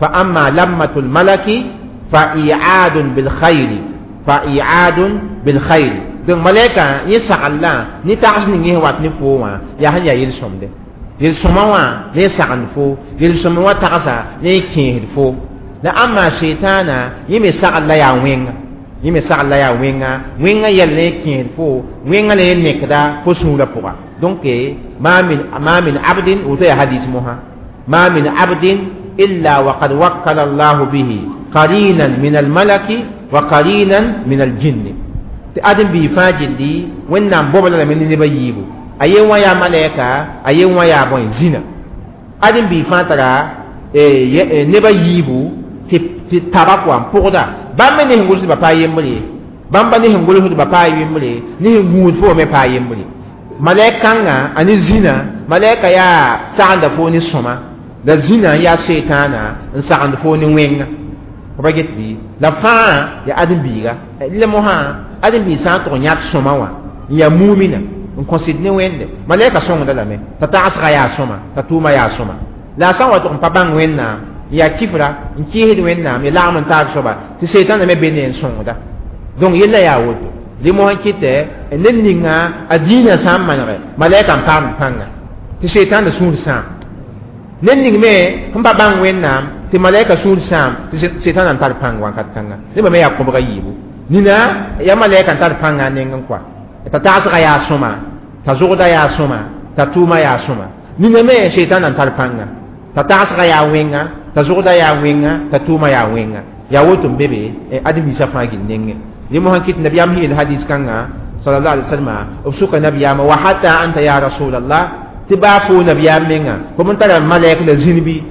Fa amma lammatul malaki fa i'adun bil khayri, fa i'adun bil khayri. Donc malɛka yẽ sagl-la ne tags ning yẽ wat ne foo wã yaa sẽn yaa yel-sõmde. Yel-sõma wã ne sagend foo, yel-sõma wã tagsa ne kẽesd foo. La amma sheitaana yẽ me sagl la yaa wẽnga. Yẽ me sagl la yaa wẽnga, wẽnga yɛl ne kẽesd foo, wẽnga la yẽ nekda fo sũurã pʋga. Donc ma min abdin, woto yaa hadis mosã, ma min abdin illa waqad wakkala Allahu bihi qarinan min almalaki wa qarinan min aljinni. Tɩ ãdem-biig fãa gilli Wẽnnaam bobla lame ne neb a yiibu. A yen wã yaa malɛka, a yen wã yaa bõe zĩna. Ãdem-biig fãa tara neb a yiibu tɩ taba kɔa n pʋgda. Bãmb me ne sẽn gʋlsdba pa yembre ye. Bãmba ne sẽn gʋlsdba pa yembre, ne sẽn gũud fo me pa yembre. Malɛk kãngã a ne zĩna, malɛka yaa sagenda fo ne sõma, la zĩna n yaa sheitaana n sagend fo ne wẽnga. Fo pa get bɩ? La fãa yaa ãdem-biiga. La mosã ãdem-biig sã n tʋg n yãk sõma wã n yaa mumina n kõsd ne Wẽnde, malɛka sõngda lame t'a tagsga yaa sõma, t'a tʋʋma yaa sõma. La a sã n wa tʋg n pa bãng Wẽnnaam n yaa kifra n kɩɩsd Wẽnnaam ya lagm n taag soaba tɩ seetãna me be ne n sõngda. Donc yella yaa woto. Rẽ mosã kɩtɛ ned ninga a dĩinã sã n manege malɛka n paamd pãnga tɩ seetãna sũur sãam. Ned ning me sẽn pa bãng Wẽnnaam tɩ malɛka sũur sãam tɩ seetãna n tar pãng wãnkat kãnga. Nebã me yaa kõbga yiibu. Nina yaa malɛka n tar pãnga a nengẽ kɔa t'a tagsga yaa sõma, t'a zʋgda yaa sõma, t'a tʋʋma yaa sõma. Nina me seetãna n tar pãnga t'a tagsga yaa wẽnga, t'a zʋgda yaa wẽnga, t'a tʋʋma yaa wẽnga. Yaa woto n be be ãdem-biisã fãa gil nengẽ. Rẽ mosã kɩt nabiyaam sẽn yeel hadis kãnga sallallahu alaihi wasallam b sʋka nabiyaamã wa hatta anta ya rasulallah tɩ baa fo nabiyaam menga fo n tara malɛk la zĩn bɩ?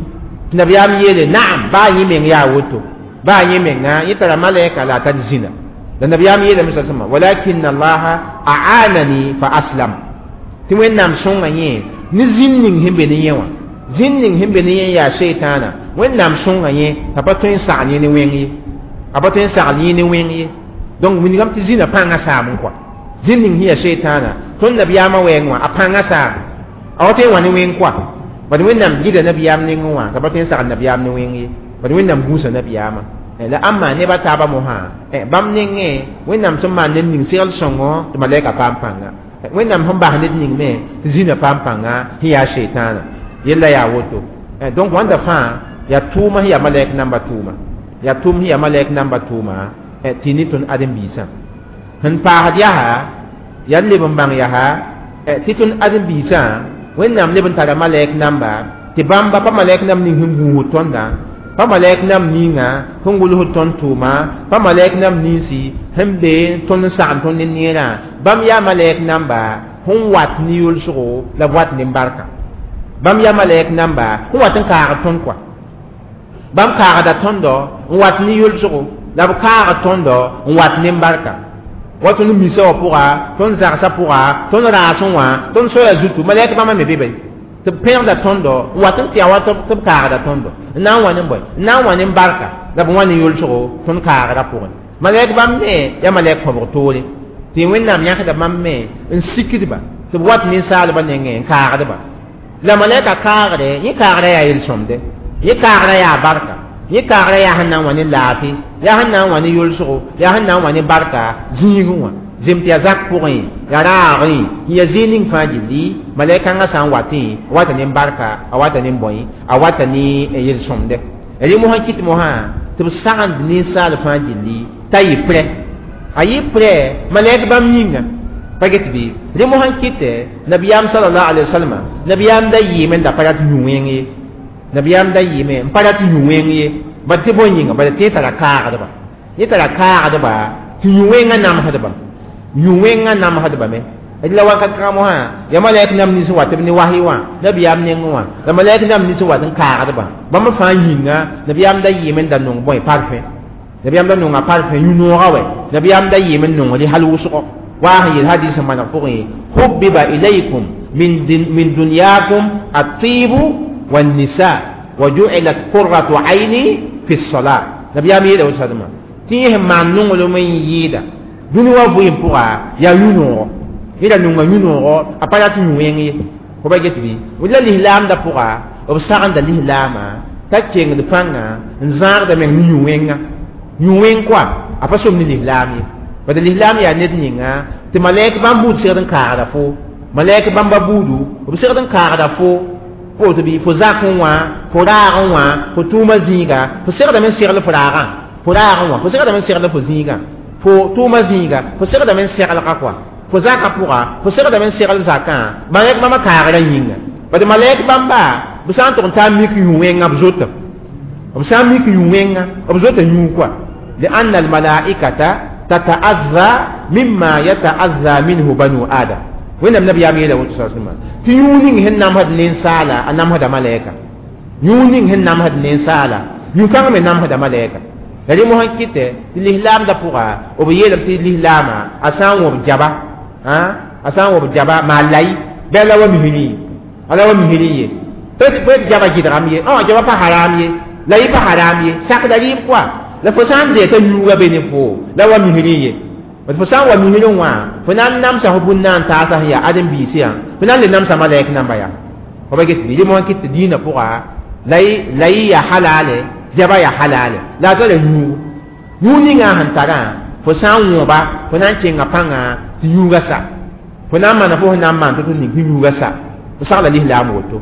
Tɩ nabiyaam yeele naam, baa yẽ meng yaa woto, baa yẽ menga yẽ tara malɛka la a tar zĩna. La nabiyaam yeelame sa sõma walakin allaha a'anani fa aslam, tɩ Wẽnnaam sõnga yẽ ne zĩn ning sẽn be ne yẽ wã, zĩn ning sẽn be ne yẽ yaa sheitaana. Wẽnnaam sõnga yẽ t'a pa tõe n sagl yẽ ne wẽng ye, a pa tõe n sagl yẽ ne wẽng ye. Donc wilgame tɩ zĩna pãngã saam n kɔa zĩn ning sẽn yaa sheitaana tõnd nabiyaamã wɛɛng wã a pãngã saam a wa tõe n wã ne wẽng kɔa. Bad Wẽnnaam gɩda nabiyaam nengẽ wã t'a pa tõe n sagl nabiyaam ne wẽng ye, bad Wẽnnaam gũusa nabiyaamã. La ãmba neb a taabã mosã bãmb nengẽ Wẽnnaam sẽn maan ned ning segl sõngo tɩ malɛka paam pãnga. Wẽnnaam sẽn bas ned ning me tɩ zĩna paam pãnga sẽn yaa sheitaana. Yella yaa woto. Donc wãnda fãa yaa tʋʋma sẽn yaa malɛk namba tʋʋma, yaa tʋʋm sẽn yaa malɛk namba tʋʋma tɩ ne tõnd ãdem-biisã. Sẽn paasd yaa yaa leb n bãng yaa tɩ tõnd ãdem-biisã Wẽnnaam leb n tara malɛk namba tɩ bãmba pa malɛk nam ning sẽn gũusd tõndã, pa malɛk nam ninga sẽn gʋlsd tõnd tʋʋma, pa malɛk nam ninsi sẽn be tõnd n sagn tõnd ne neerã. Bãmb yaa malɛk namba sẽn wat ne yolsgo la b wat ne barka. Bãmb yaa malɛk namba sẽn wat n kaagd tõnd kɔa. Bãmb kaagda tõndo n wat ne yolsgo la b kaagd tõndo n wat ne barka. Wa tõnd misa wã pʋga, tõnd zagsã pʋga, tõnd raasẽ wã, tõnd soya zutu, malɛk bãmba me be be tɩ b pẽgda tõndo n wat n tɩ ya wa tɩ b kaagda tõndo n na n wa ne bõe, n na n wa ne barka la b wa ne yolsgo tõnd kaagdã pʋgẽ. Malɛk bãmb me yaa malɛk kõbg toore tɩ Wẽnnaam yãkda bãmb me n sikdba tɩ b wat ninsaalbã nengẽ n kaagdba. La malɛka kaagde yẽ kaagrã yaa yel-sõmde, yẽ kaagrã yaa barka, yẽ kaagrã yaa sẽn na n wa ne laafɩ, yaa sẽn na n wa ne yolsgo, yaa sẽn na n wa ne barka zĩigẽ wã. Zem tɩ yaa zak pʋgẽ, yaa raagẽ, n yaa zĩig ning fãa gilli malɛk kãngã sã n watẽ a wata ne barka, a wata ne bõe, a wata ne yel-sõmde. Rẽ mosã kɩt mosã tɩ b sagend ninsaal fãa gilli t'a yɩ prɛ, a yɩ prɛ malɛk bãmb yĩnga pa get bɩ. Rẽ mosã kɩtɛ nabiyaam sallallahu alaihi wasallam nabiyaam da yɩɩme n da pa rat yũ wẽng ye, nabiyaam da yɩɩme n pa rat yũ wẽng ye, bad tɩ bõe yĩnga, bad tɩ yẽ tara kaagdba, yẽ tara kaagdba tɩ yũ wẽngã namsdba, yũ wẽngã namsdba me. La wakat kãngã mosã yaa malɛk nam nins wat b ne wasy wã nabiyaam nengẽ wã, la malɛk nam nins wat n kaagdba bãmb fãa yĩnga nabiyaam da yɩɩme n da nong bõe parfum. Nabiyaam da nonga parfum yũ-noogã wɛ. Nabiyaam da yɩɩm n nongd hal wʋsgo waa sẽn yel hadis n maneg pʋgẽ: hubbiba ilaykum min dunyakum at-tibu wan-nisa wa ju'ilat qurratu ayni fi s-salat. Nabiyaam yeela woto sadma tɩ yẽ sẽn maan nonglem n yɩɩda dũni wã vɩɩm pʋga yaa yũ-noogo. Yẽ da nonga yũ-noogo, a pa rat yũ wẽng ye. Fo ba get bɩ la lislaamdã pʋga b sagenda lislaamã t'a kengd pãnga n zãagda meng ne yũ-wẽnga. Yũ-wẽng koa a pa som ne lislaam ye. Bad lislaam yaa ned ninga tɩ malɛk bãmb buud segd n kaagda fo, malɛk bãmba buudu b segd n kaagda fo woto bɩ fo zakẽ wã, fo raagẽ wã, fo tʋʋmã zĩiga, fo segdame n segl fo raagã, fo raagẽ wã fo segdame n segl fo zĩigã, fo tʋʋmã zĩiga fo segdame n seglga koa, fo zakã pʋga fo segdame n segl zakã. Malɛk bãmba kaagrã yĩnga. Bad malɛk bãmba b sã n tʋg n taa mik yũ-wẽngã b zota, b sã n mik yũ-wẽngã b zota yũu koa. لأن الملائكة تتأذى مما يتأذى منه بنو آدم. وين النبي يامي له صلى الله عليه وسلم تيونين هن نام هاد نينسالا نام هاد ملائكة يونين هن نام هاد نينسالا يوكان من نام هاد ملائكة لدي مهن كيته الإسلام دا بوغا وبيلم تي الإسلام أسان وبجبا ها أسان وبجبا ما لاي بلا ومهني على ومهني بيت جبا جدرامي جبا با حرامي لاي با حرامي ساك داريب كوا la fo sã n dee t'a yuuga be ne fo la wa misrẽ ye. Fo sã n wa misrẽ wã, fo na n namsa fo bũn na n taasa sẽn yaa ãdem-biisã yã, fo na n le namsa malɛk namba yaa. Fo ba get bɩ rẽ mosã kɩt tɩ dĩinã pʋga la y yaa halale, jaba yaa halale, la a tara yũugo. Yũug ninga sẽn tarã, fo sã n wõba, fo na n kẽnga pãnga tɩ yũuga sa, fo na n maana fo sẽn na n maan tɩ ning tɩ yũuga sa. Fo sagla lislaam woto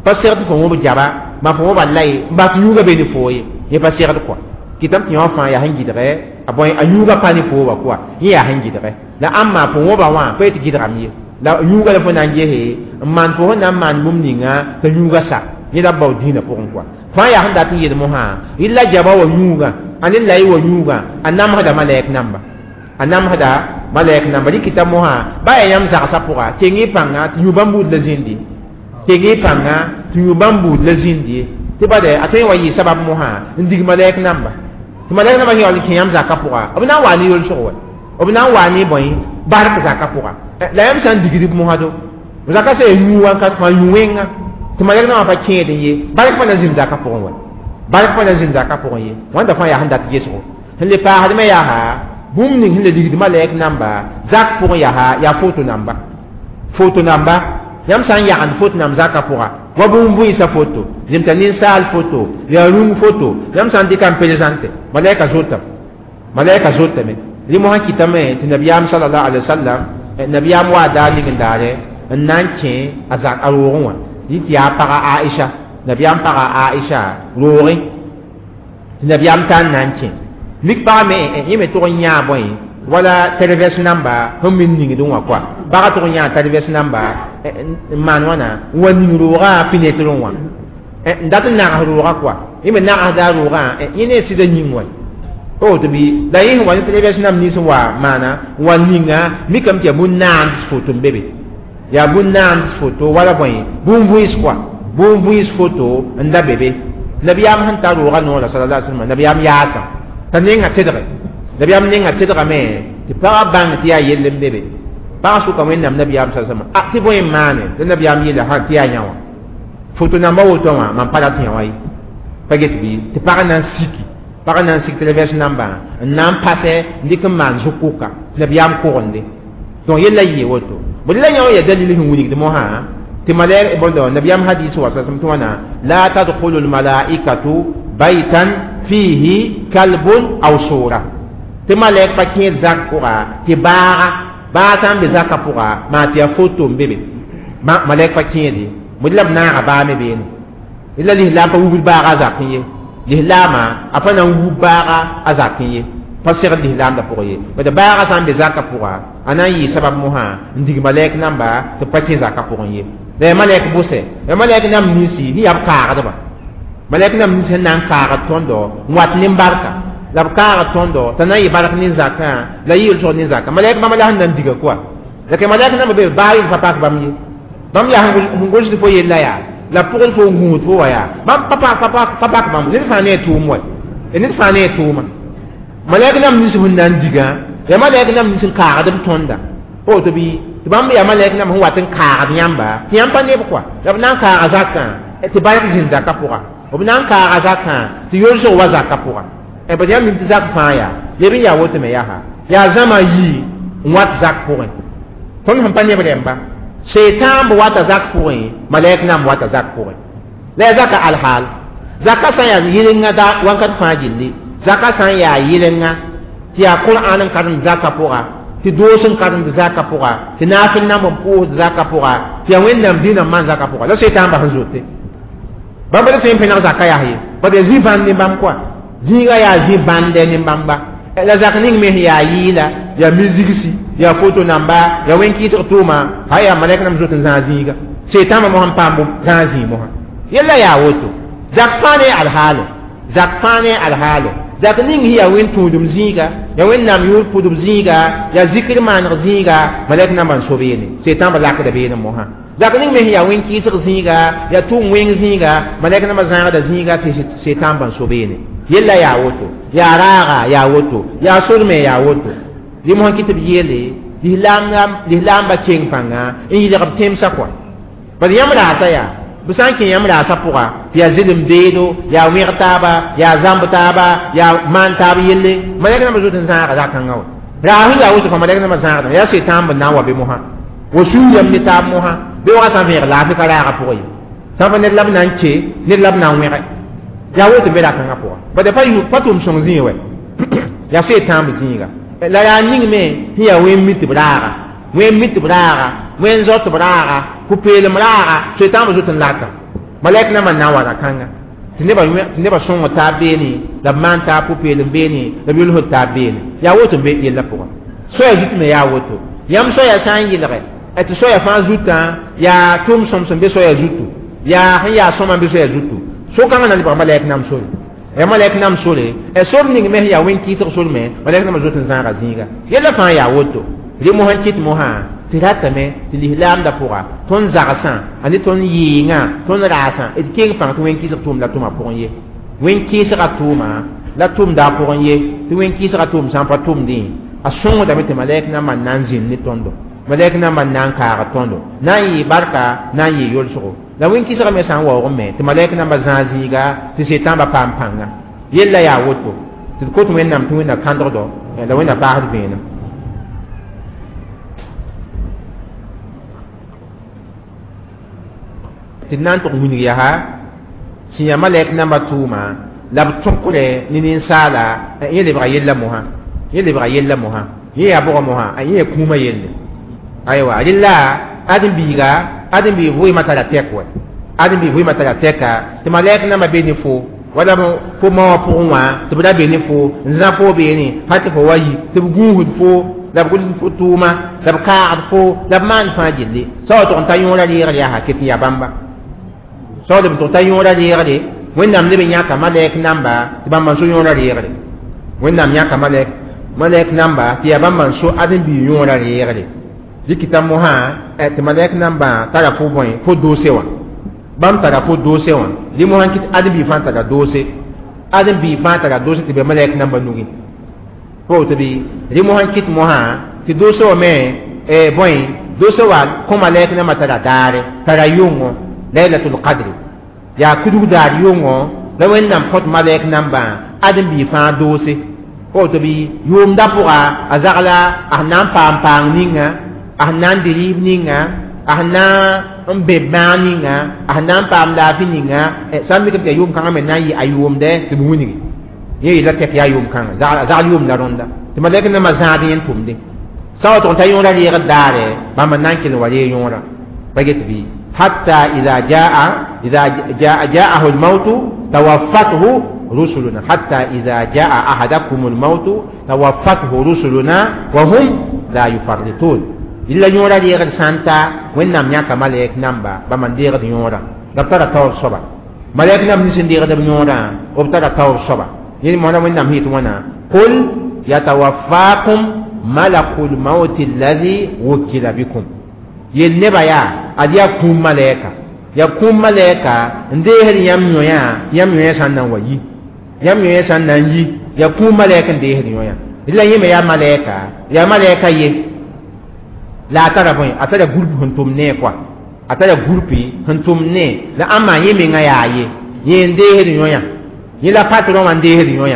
pa segd tɩ fo wõb jaba ma fo wõba lay n bas tɩ yũuga be ne fo ye, yẽ pa segd kɔa. Kɩtame tɩ yõ fãa yaa sẽn gɩdgɛ a bõe a yũuga pa ne fo wa kɔa, yẽ yaa sẽn gɩdgɛ. La ãmba fo wõba wã pa yetɩ gɩdgame ye, la yũuga la fo na n gese n maan fo sẽn na n maan bũmb ninga t'a yũuga sa, yẽ la bao dĩinã pʋgẽ kɔa. Fãa yaa sẽn dat n yeel mosã yɩl la jaba wa yũugã a ne la y wa yũugã a namsda malɛk namba, a namsda malɛk namba. Rɩkɩta mosã ba yaa yãmb zagsã pʋga keng y pãnga tɩ yũ bãmb buud la zĩndi, keng y pãnga tɩ yũ bãmb buud la zĩndi, tɩ bade a tõe n wa yɩ sabab mosã n dig malɛk namba. Tɩ malɛk namba sẽn yaool n kẽ yãmb zakã pʋga, b na n waa ne yolsg wɛ, b na n waa ne bõe bark zakã pʋga. La yãmb sã n digd b mosã do zakã sã yaa yũ wãnkat fãa yũ-wẽnga tɩ malɛk nambã pa kẽed n ye, bark pa na zĩnd zakã pʋgẽ wɛ, bark pa na zĩnd zakã pʋgẽ ye. Wãnda fãa yaa sẽn dat gesgo. Sẽn le paasdmẽ yaa bũmb ning sẽn le ligd malɛk namba zak pʋgẽ yaa foto namba, foto namba. Yãmb sã n yagend foto namb zakã pʋga wa bũmb vẽensã foto, zemta ninsaal foto, yaa rũng foto, yãmb sã n dɩka n prezãnte malɛka zotame, malɛka zotame. Rẽ mosã kɩtame tɩ nabiyaam sallallahu alaihi wasallam nabiyaam waa daar ning n daare n na n kẽ a zak a roogẽ wã, yẽ tɩ yaa paga Aisha, nabiyaam paga Aisha roogẽ tɩ nabiyaam tar n na n kẽ mik pagã me yẽ me tʋg n yãa bõe wala tɛrvɛs namba sẽn min ningdẽ wã koa. Pagã tʋg n yãa tɛrvɛs namba n maan wãna n wa ning roogã fenɛtrẽ wã n dat n nags roogã koa, yẽ me nagsda roogã yẽ ne sɩda yĩng wa woto bɩ. La yẽ sẽn wa ne tɛrvɛs namb nins n wa maana n wa ninga mikame tɩ yaa bũn-naand foto n be be, yaa bũn-naand foto wala bõe bũn vẽes koa, bũn vẽes foto n da be be. Nabiyaam sẽn tar roogã noorã sallallahu alaihi wasallam, nabiyaam yaasã t'a nenga tedge, nabiyaam nenga tedgame tɩ pagã bãng tɩ yaa yell n be be. Pagã sʋka Wẽnnaam nabiyaam sa sallam a tɩ bõe n maane tɩ nabiyaam yeela sã tɩ yaa yã wã foto namba woto wã mam pa rat yã wã ye pa get bɩ. Tɩ pagã na n siki, pagã na n sik tɩ namba n na n pasɛ n dɩk n maan zʋk-kʋka tɩ nabiyaam kogende. Donc yella yɩ woto bõe la yã wã yaa dalil sẽn wilgd mosã tɩ malɛk bõndo nabiyaam hadis wa sallam tɩ wãna la tadkhulu lmalaikatu baytan fihi kalbun aw sura, tɩ malɛk pa kẽed zak pʋga tɩ baaga baa sã n be zakã pʋga maa tɩ yaa foto n be be malɛk pa kẽed ye. Bõe la b naaga baa me beene la lislaam pa wubd baaga a zakẽ ye, lislaamã a pa na n wub baaga a zakẽ ye, pa segd lislaamdã pʋgẽ ye. Bad baaga sã n be zakã pʋga a na n yɩ sabab mosã n dig malɛk namba tɩ pa kẽ zakã pʋgẽ ye. La yaa malɛk bʋsɛ, yaa malɛk namb ninsi sẽn yaa b kaagdba, malɛk namb nins sẽn na n kaagd tõndo n wat nin-barka la b kaagd tõndo t'a na n yɩ bark nin-zakã la yɩ yel-sog nin-zakã. Malɛk bãmba la sẽn na n diga koa la ke malɛk namba be baa yɩl pa pak bãmb ye, bãmb yaa sẽn gʋlsd fo yella yaa la pʋgd fo n gũud fo wa yaa bãmb pa pak bãmb. Ned fãa ne a tʋʋm wa, ned fãa ne a tʋʋma. Malɛk nam nins sẽn na n digã yaa malɛk nam nins n kaagd b tõnda pa woto bɩ tɩ bãmb yaa malɛk nam sẽn wat n kaagd yãmba tɩ yãmb pa neb kɔa la b na n kaaga zakã tɩ bark zĩnd zakã pʋga b na n kaaga zakã tɩ yolsg wa zakã pʋga bad yãmb mim tɩ zak fãa yaa leb n yaa woto me yaa yaa zãma yii n wat zak pʋgẽ tõnd sẽn pa neb rẽmba seitan b wata zak pʋgẽ malɛk nam wata zak pʋgẽ la yaa zaka alhaal zaka sã n yaa yɩlenga da wãnkat fãa gilli zaka sã n yaa yɩlenga tɩ yaa qur'an n karemd zaka pʋga tɩ doos n karemd zaka pʋga tɩ naafɩl namb n pʋʋsd zaka pʋga tɩ yaa wẽnnaam dĩnã n maan zaka pʋga la seitan bas n zote bãmb pa tõe n pẽneg zaka yaa ye bad yaa zĩ-bãnd ne bãmb kɔa zĩiga yaa zĩ-bãndɛ ne bãmba la zak ning me sẽn yaa yɩɩla yaa mizigsi yaa foto namba yaa wẽn-kɩɩsg tʋʋma ha yaa malɛk nam zot n zãag zĩiga seetãambã mosã n paam zãag zĩig mosã yella yaa woto zak fãa ne alhaale zak fãa ne alhaale zak ning sẽn yaa wẽn-tũudum zĩiga yaa wẽnnaam yʋʋr pʋdb zĩiga yaa zikr maaneg zĩiga malɛk nambã n so beene seetãambã lakda beene mosã zak ning me sẽn yaa wẽn-kɩɩsg zĩiga yaa tʋʋm wẽng zĩiga malɛk nambã zãagda zĩiga tɩ seetãambã n so beene yella yaa woto yaa raaga yaa woto yaa sor me yaa woto rɩ mosã kɩ tɩ b yeele lislaambã keng pãnga n yɩlg b tẽmsã kɔa bad yãmb raasa yaa b sã n kẽ yãmb raasã pʋga tɩ yaa zɩlem beedo yaa wẽg taaba yaa zãmb taaba yaa maan taab yelle malɛk nambã zot n zãaga zakãngã wa raas sẽn yaa woto fãa malɛk nambã zãagdame yaa setãamb n na n wa be mosã wa sũur yam ne taab mosã bɩ wã sã n vẽeg laafɩ ka raaga pʋgã ye sã n pa ned la b na n ke ned la b na n wẽge yaa woto n be rakãngã pʋga bad pa tʋʋm sõng zĩig wɛ yaa setãamb zĩiga la yaa ning me sẽn yaa wẽn mi tɩ b raaga wẽn mi tɩ b raaga wẽn zao tɩ b raaga pʋ-peelem raaga setãambã zot n laka malɛk nambã n na n wa rakãnga tɩ nebã sõng taab beene la b maan taab pʋ-peelem beene la b yolsd taab beene yaa woto n be yellã pʋgã soaya zut me yaa woto yãmb soaya sã n yɩlgɛ tɩ soaya fãa zutã yaa tʋʋm sõm sẽn be soaya zutu yaa sẽn yaa sõma n be soaya zutu so-kãngã na lebg malɛk nam sore ya malɛk nam sore sor ning me sẽn yaa wẽn-kɩɩsg sor me malɛk nambã zot n zãaga zĩiga yella fãa yaa woto rɩ mosã n kɩt mosã tɩ ratame tɩ lislaamdã pʋga tõnd zagsã a ne tõnd yɩɩngã tõnd raasã d keng pãng tɩ wẽn-kɩɩsg tʋʋm la tʋma pʋgẽ ye wẽn-kɩɩsgã tʋʋma la tʋmda a pʋgẽ ye tɩ wẽn-kɩɩsgã tʋʋm sã n pa tʋmdẽ a sõngdame tɩ malɛk nambã n na n zĩnd ne tõndo malɛk nambã n na n kaag tõndo na n yɩ barka na n yɩ yolsgo la wẽn-kɩsgã me sã n waoog me tɩ malɛk nambã zãag zĩiga tɩ setãambã paam pãnga yella yaa woto tɩ d kot wẽnnaam tɩ wẽnna kãndgdo la wẽnna paasd vẽenem tɩ d na n tʋg wilg yaa sẽn yaa malɛk nambã tʋʋma la b tõkre ne ninsaala yẽ lebga yella mosã yẽ lebga yella mosã yẽ yaa bʋga mosã yẽ yaa kũumã yelle aywa rella ãdem-biiga ãdem-biig vʋɩɩmã tara tɛk wɛ ãdem-biig vʋɩɩmã tara tɛka tɩ malɛk nambã be ne fo wala fo ma wã pʋgẽ wã tɩ b ra be ne fo n zã fo beene hal tɩ fo wa yi tɩ b gũusd fo la b gʋls fo tʋʋma la b kaagd fo la b maan fãa gilli sã wa tʋg n ta yõora reegr yaa ket n yaa bãmba sã wa b tʋg ta yõora reegre wẽnnaam leb n yãka malɛk namba tɩ bãmba n so yõora reegre wẽnnaam yãka malɛk namba tɩ yaa bãmba n so ãdem-biig yõora reegre dɩkɩta mosã tɩ malɛk nambã tara fo bõe fo doose wã bãmb tara fo doose wã rɩ mosã kɩt ãdem-biig fãa tara doose ãdem-biig fãa tara doose tɩ be malɛk nambã nugẽ pa woto bɩ rɩ mosã kɩt mosã tɩ doose wã me bõe doose wã kõ malɛk nambã tara daare tara yʋngo lailatul qadri yaa kudg daar yʋngo la wẽnnaam kõt malɛk nambã ãdem-biig fãa doose pa woto bɩ yʋʋmdã pʋga a zagla a sẽn na n paam paang ninga a sẽn na n dɩ rɩɩb ninga a sẽn na n be bãag ninga a sẽn na n paam laafɩ ninga sã n mikame tɩ yaa yʋʋm-kãngã me na n yɩ a yʋʋmdɛ tɩ b wilgi yẽ yeela tɛk yaa yʋʋm-kãngã zagl yʋʋm la rõnda tɩ malɛk nambã zãad yẽ n tʋmdẽ sã wa tʋg n ta yõora reegd daare bãmb n na n kell n wa reeg yõora pa get bɩ hatta ida jaa ida jaahu lmautu tawaffathu rusuluna hatta ida jaa ahadakum lmautu tawaffathu rusuluna wa hum la yufarritun illa yõora reegd sã n ta wẽnnaam yãka malɛk namba bãmb n deegd yõora la b tara taoor soaba malɛk namb nins n deegd b yõorã b tara taoor soaba yẽ mosã wẽnnaam sẽn yet wãna qul yatawaffakum malakul mauti alladhi wukila bikum yel nebã yaa ad yaa kũum malɛka yaa kũum malɛka n deesd yãmb yõyã yãmb yõyã sã n na n wa yi yãmb yõyã sã n na n yi Yaa kũum malɛk n deesd yõ la yẽ me yaa malɛka ye la a tara bõe a tara groupe sẽn tʋm ne koa a tara groupe sẽn tʋm ne la ãmba yẽ menga yaa ye yẽ n deesd yõ yẽ la patron wã n deesd yõ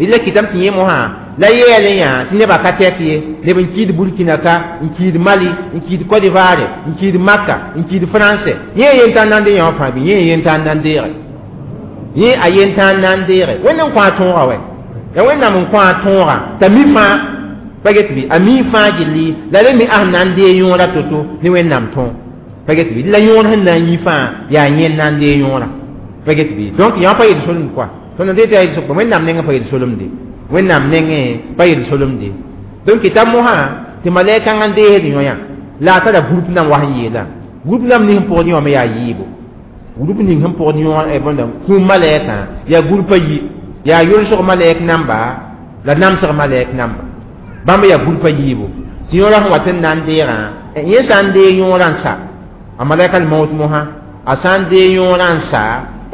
la kɩtame tɩ yẽ mosã la yɛɛl yã tɩ nebã ka tɛk ye neb n kiid Burkina ka n kiid Mali n kiid Côte d'Ivoire n kiid Maka n kiid France yẽ yentã n na n dee yã wã fãa bɩ yẽ yentã n na n deege yẽ a yentã n na n deege Wẽnd n kõ a tõoga wɛ ya Wẽnnaam n kõ a tõoga t'a mi fãa pa get bɩ a mi fãa gilli la rẽ me a sẽn na n dee yõora to-to ne Wẽnnaam tõog pa get bɩ la yõor sẽn na n yi fãa yaa yẽ n na n dee yõora pa get bɩ donc yã pa yel-solemd koa tõnd n dee tɩ yaa yel-sokpa Wẽnnaam nengẽ pa yel-solemde Wẽnnaam nengẽ pa yel-solemde donc t'a mosã tɩ malɛkãngã n deesd yõ la a tara groupe nam wa sẽn yeelã groupe nam ning sẽn pʋgd yõ me yaa yiibo groupe ning sẽn pʋgd yõ bõnda kũum malɛkã yaa groupe a yi yaa yolsg malɛk namba la namsg malɛk namba bãmb yaa groupe a yiibo tɩ yõora sẽn wat n na n deegã yẽ sã n deeg yõorã n sa a malɛka maut mosã a sã n deeg yõorã n sa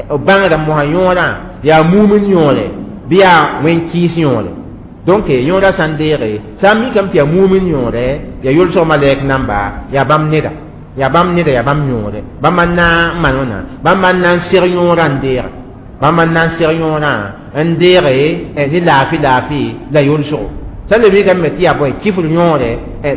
bãngda mosã yõorã yaa mumin yõore bɩ yaa wẽn-kɩɩs yõore donc yõora sã n deege sã n mikame tɩ yaa mumin yõore yaa yolsg malɛk namba yaa bãmb neda yaa bãmb neda yaa bãmb yõore bãmb n na n maan wãna bãmb n na n seg yõorã n deege bãmb n na n seg yõorã n deege ne laafɩ laafɩ la yolsgo sã n le mikame me tɩ yaa bõe kifr yõore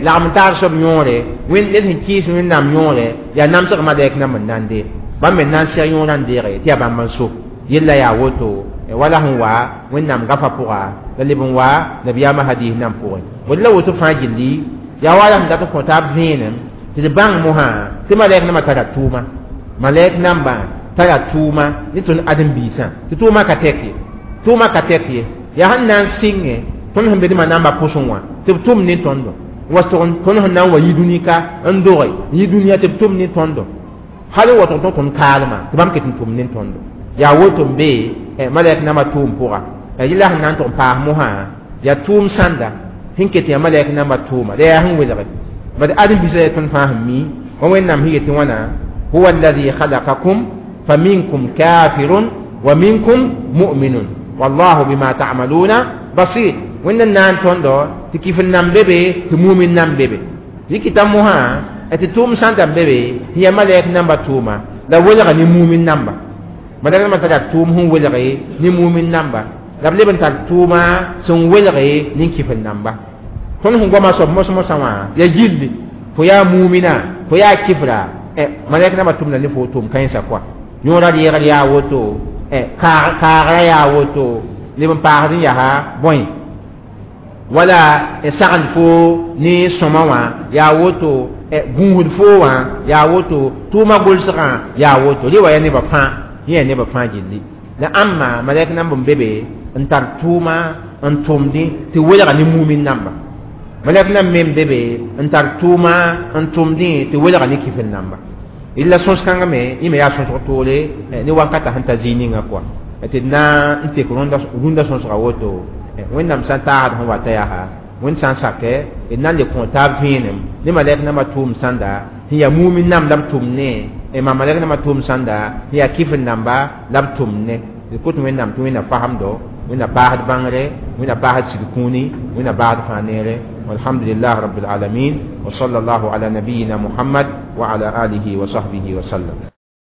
lagm n taar soab yõore ned sẽn kɩɩs Wẽnnaam yõore yaa namsg malɛk namba n na n deeg bãmb me na n seg yõorã n deege tɩ yaa bãmb n so yella yaa woto wala sẽn wa Wẽnnaam gafa pʋga la leb n wa nabiyaamã hadis nan pʋgẽ bõe la woto fãa gilli yaa wa la sẽn dat n kõ taab vẽenem tɩ d bãng mosã tɩ malɛk nambã tara tʋʋma malɛk nambã tara tʋʋma ne tõnd ãdem-biisã tɩ tʋʋma ka tɛk ye tʋʋma ka tɛk ye yaa sẽn na n sɩngẽ tõnd sẽn be dẽmã namba pʋsẽ wã tɩ b tʋm ne tõndo wa tõnd sẽn na n wa yi dũni ka n doge n yi dũniyã tɩ b tʋm ne tõndo hal n watg tõnd kaalmã tɩ bãmb ket n tʋm ne tõndo yaa woto n be malɛk nambã tʋʋm pʋga yella sẽn na n tʋg n paas mosã yaa tʋʋm sãnda sẽn ket yaa malɛk nambã tʋʋma la yaa sẽn welge bad ãdem-biisã yaa tõnd fãa sẽn mi wa Wẽnnaam sẽn yetɩ wãna huwa alladhi khalaqakum faminkum kafirun wa minkum mu'minun wallahu bima ta'maluna basir Wẽnd n na n tõndo tɩ kifr nan be tɩ mumin nan bebe yikita mosã tɩ tʋʋm sãnda n be be tɩ yaa malɛk namba tʋʋma la welga ne mumin namba malɛk namba tara tʋʋm sẽn welge ne mumin namba la b leb n tar tʋʋma sẽn welge ne kifr namba tõnd sẽn goama soab mos-mosã wã yaa gilli fo yaa mumina fo yaa kifra malɛk namba tʋmda ne fo tʋʋm kãensã koa yõora reegr yaa woto kaagra yaa woto leb n paasd n yaa bõe wala sagend fo ne sõma wã yaa woto gũusd fo wã yaa woto tʋʋma gʋlsgã yaa woto rẽ wa yaa nebã fãa yẽ yaa nebã fãa gilli la ãmba malɛk namb n be be n tar tʋʋma n tʋmdẽ tɩ welga ne mumin namba malɛk namb me n be be n tar tʋʋma n tʋmdẽ tɩ welga ne kifr namba illa sõs-kãngã me yẽ me yaa sõsg toore ne wakata sẽn ta zĩig ninga koa tɩ d na n tek rũndã sõsga woto Wẽnnaam sã n taasd sẽn wata yaa Wẽnd sã n sakɛ d na n le kõ taab vẽenem ne malɛk nambã tʋʋm sãnda sẽn yaa mumin namb la b tʋm ne ma malɛk nambã tʋʋm sãnda sẽn yaa kifr namba la b tʋm ne d kot Wẽnnaam tɩ Wẽnnaam fasemdo Wẽnnaam paasd bãngre Wẽnnaam paasd sig kũuni Wẽnnaam baasd fãa neere walhamdulillah rabbil alamin wa sallallahu ala nabiyina Muhammad wa ala alihi wa sahbihi wa sallam.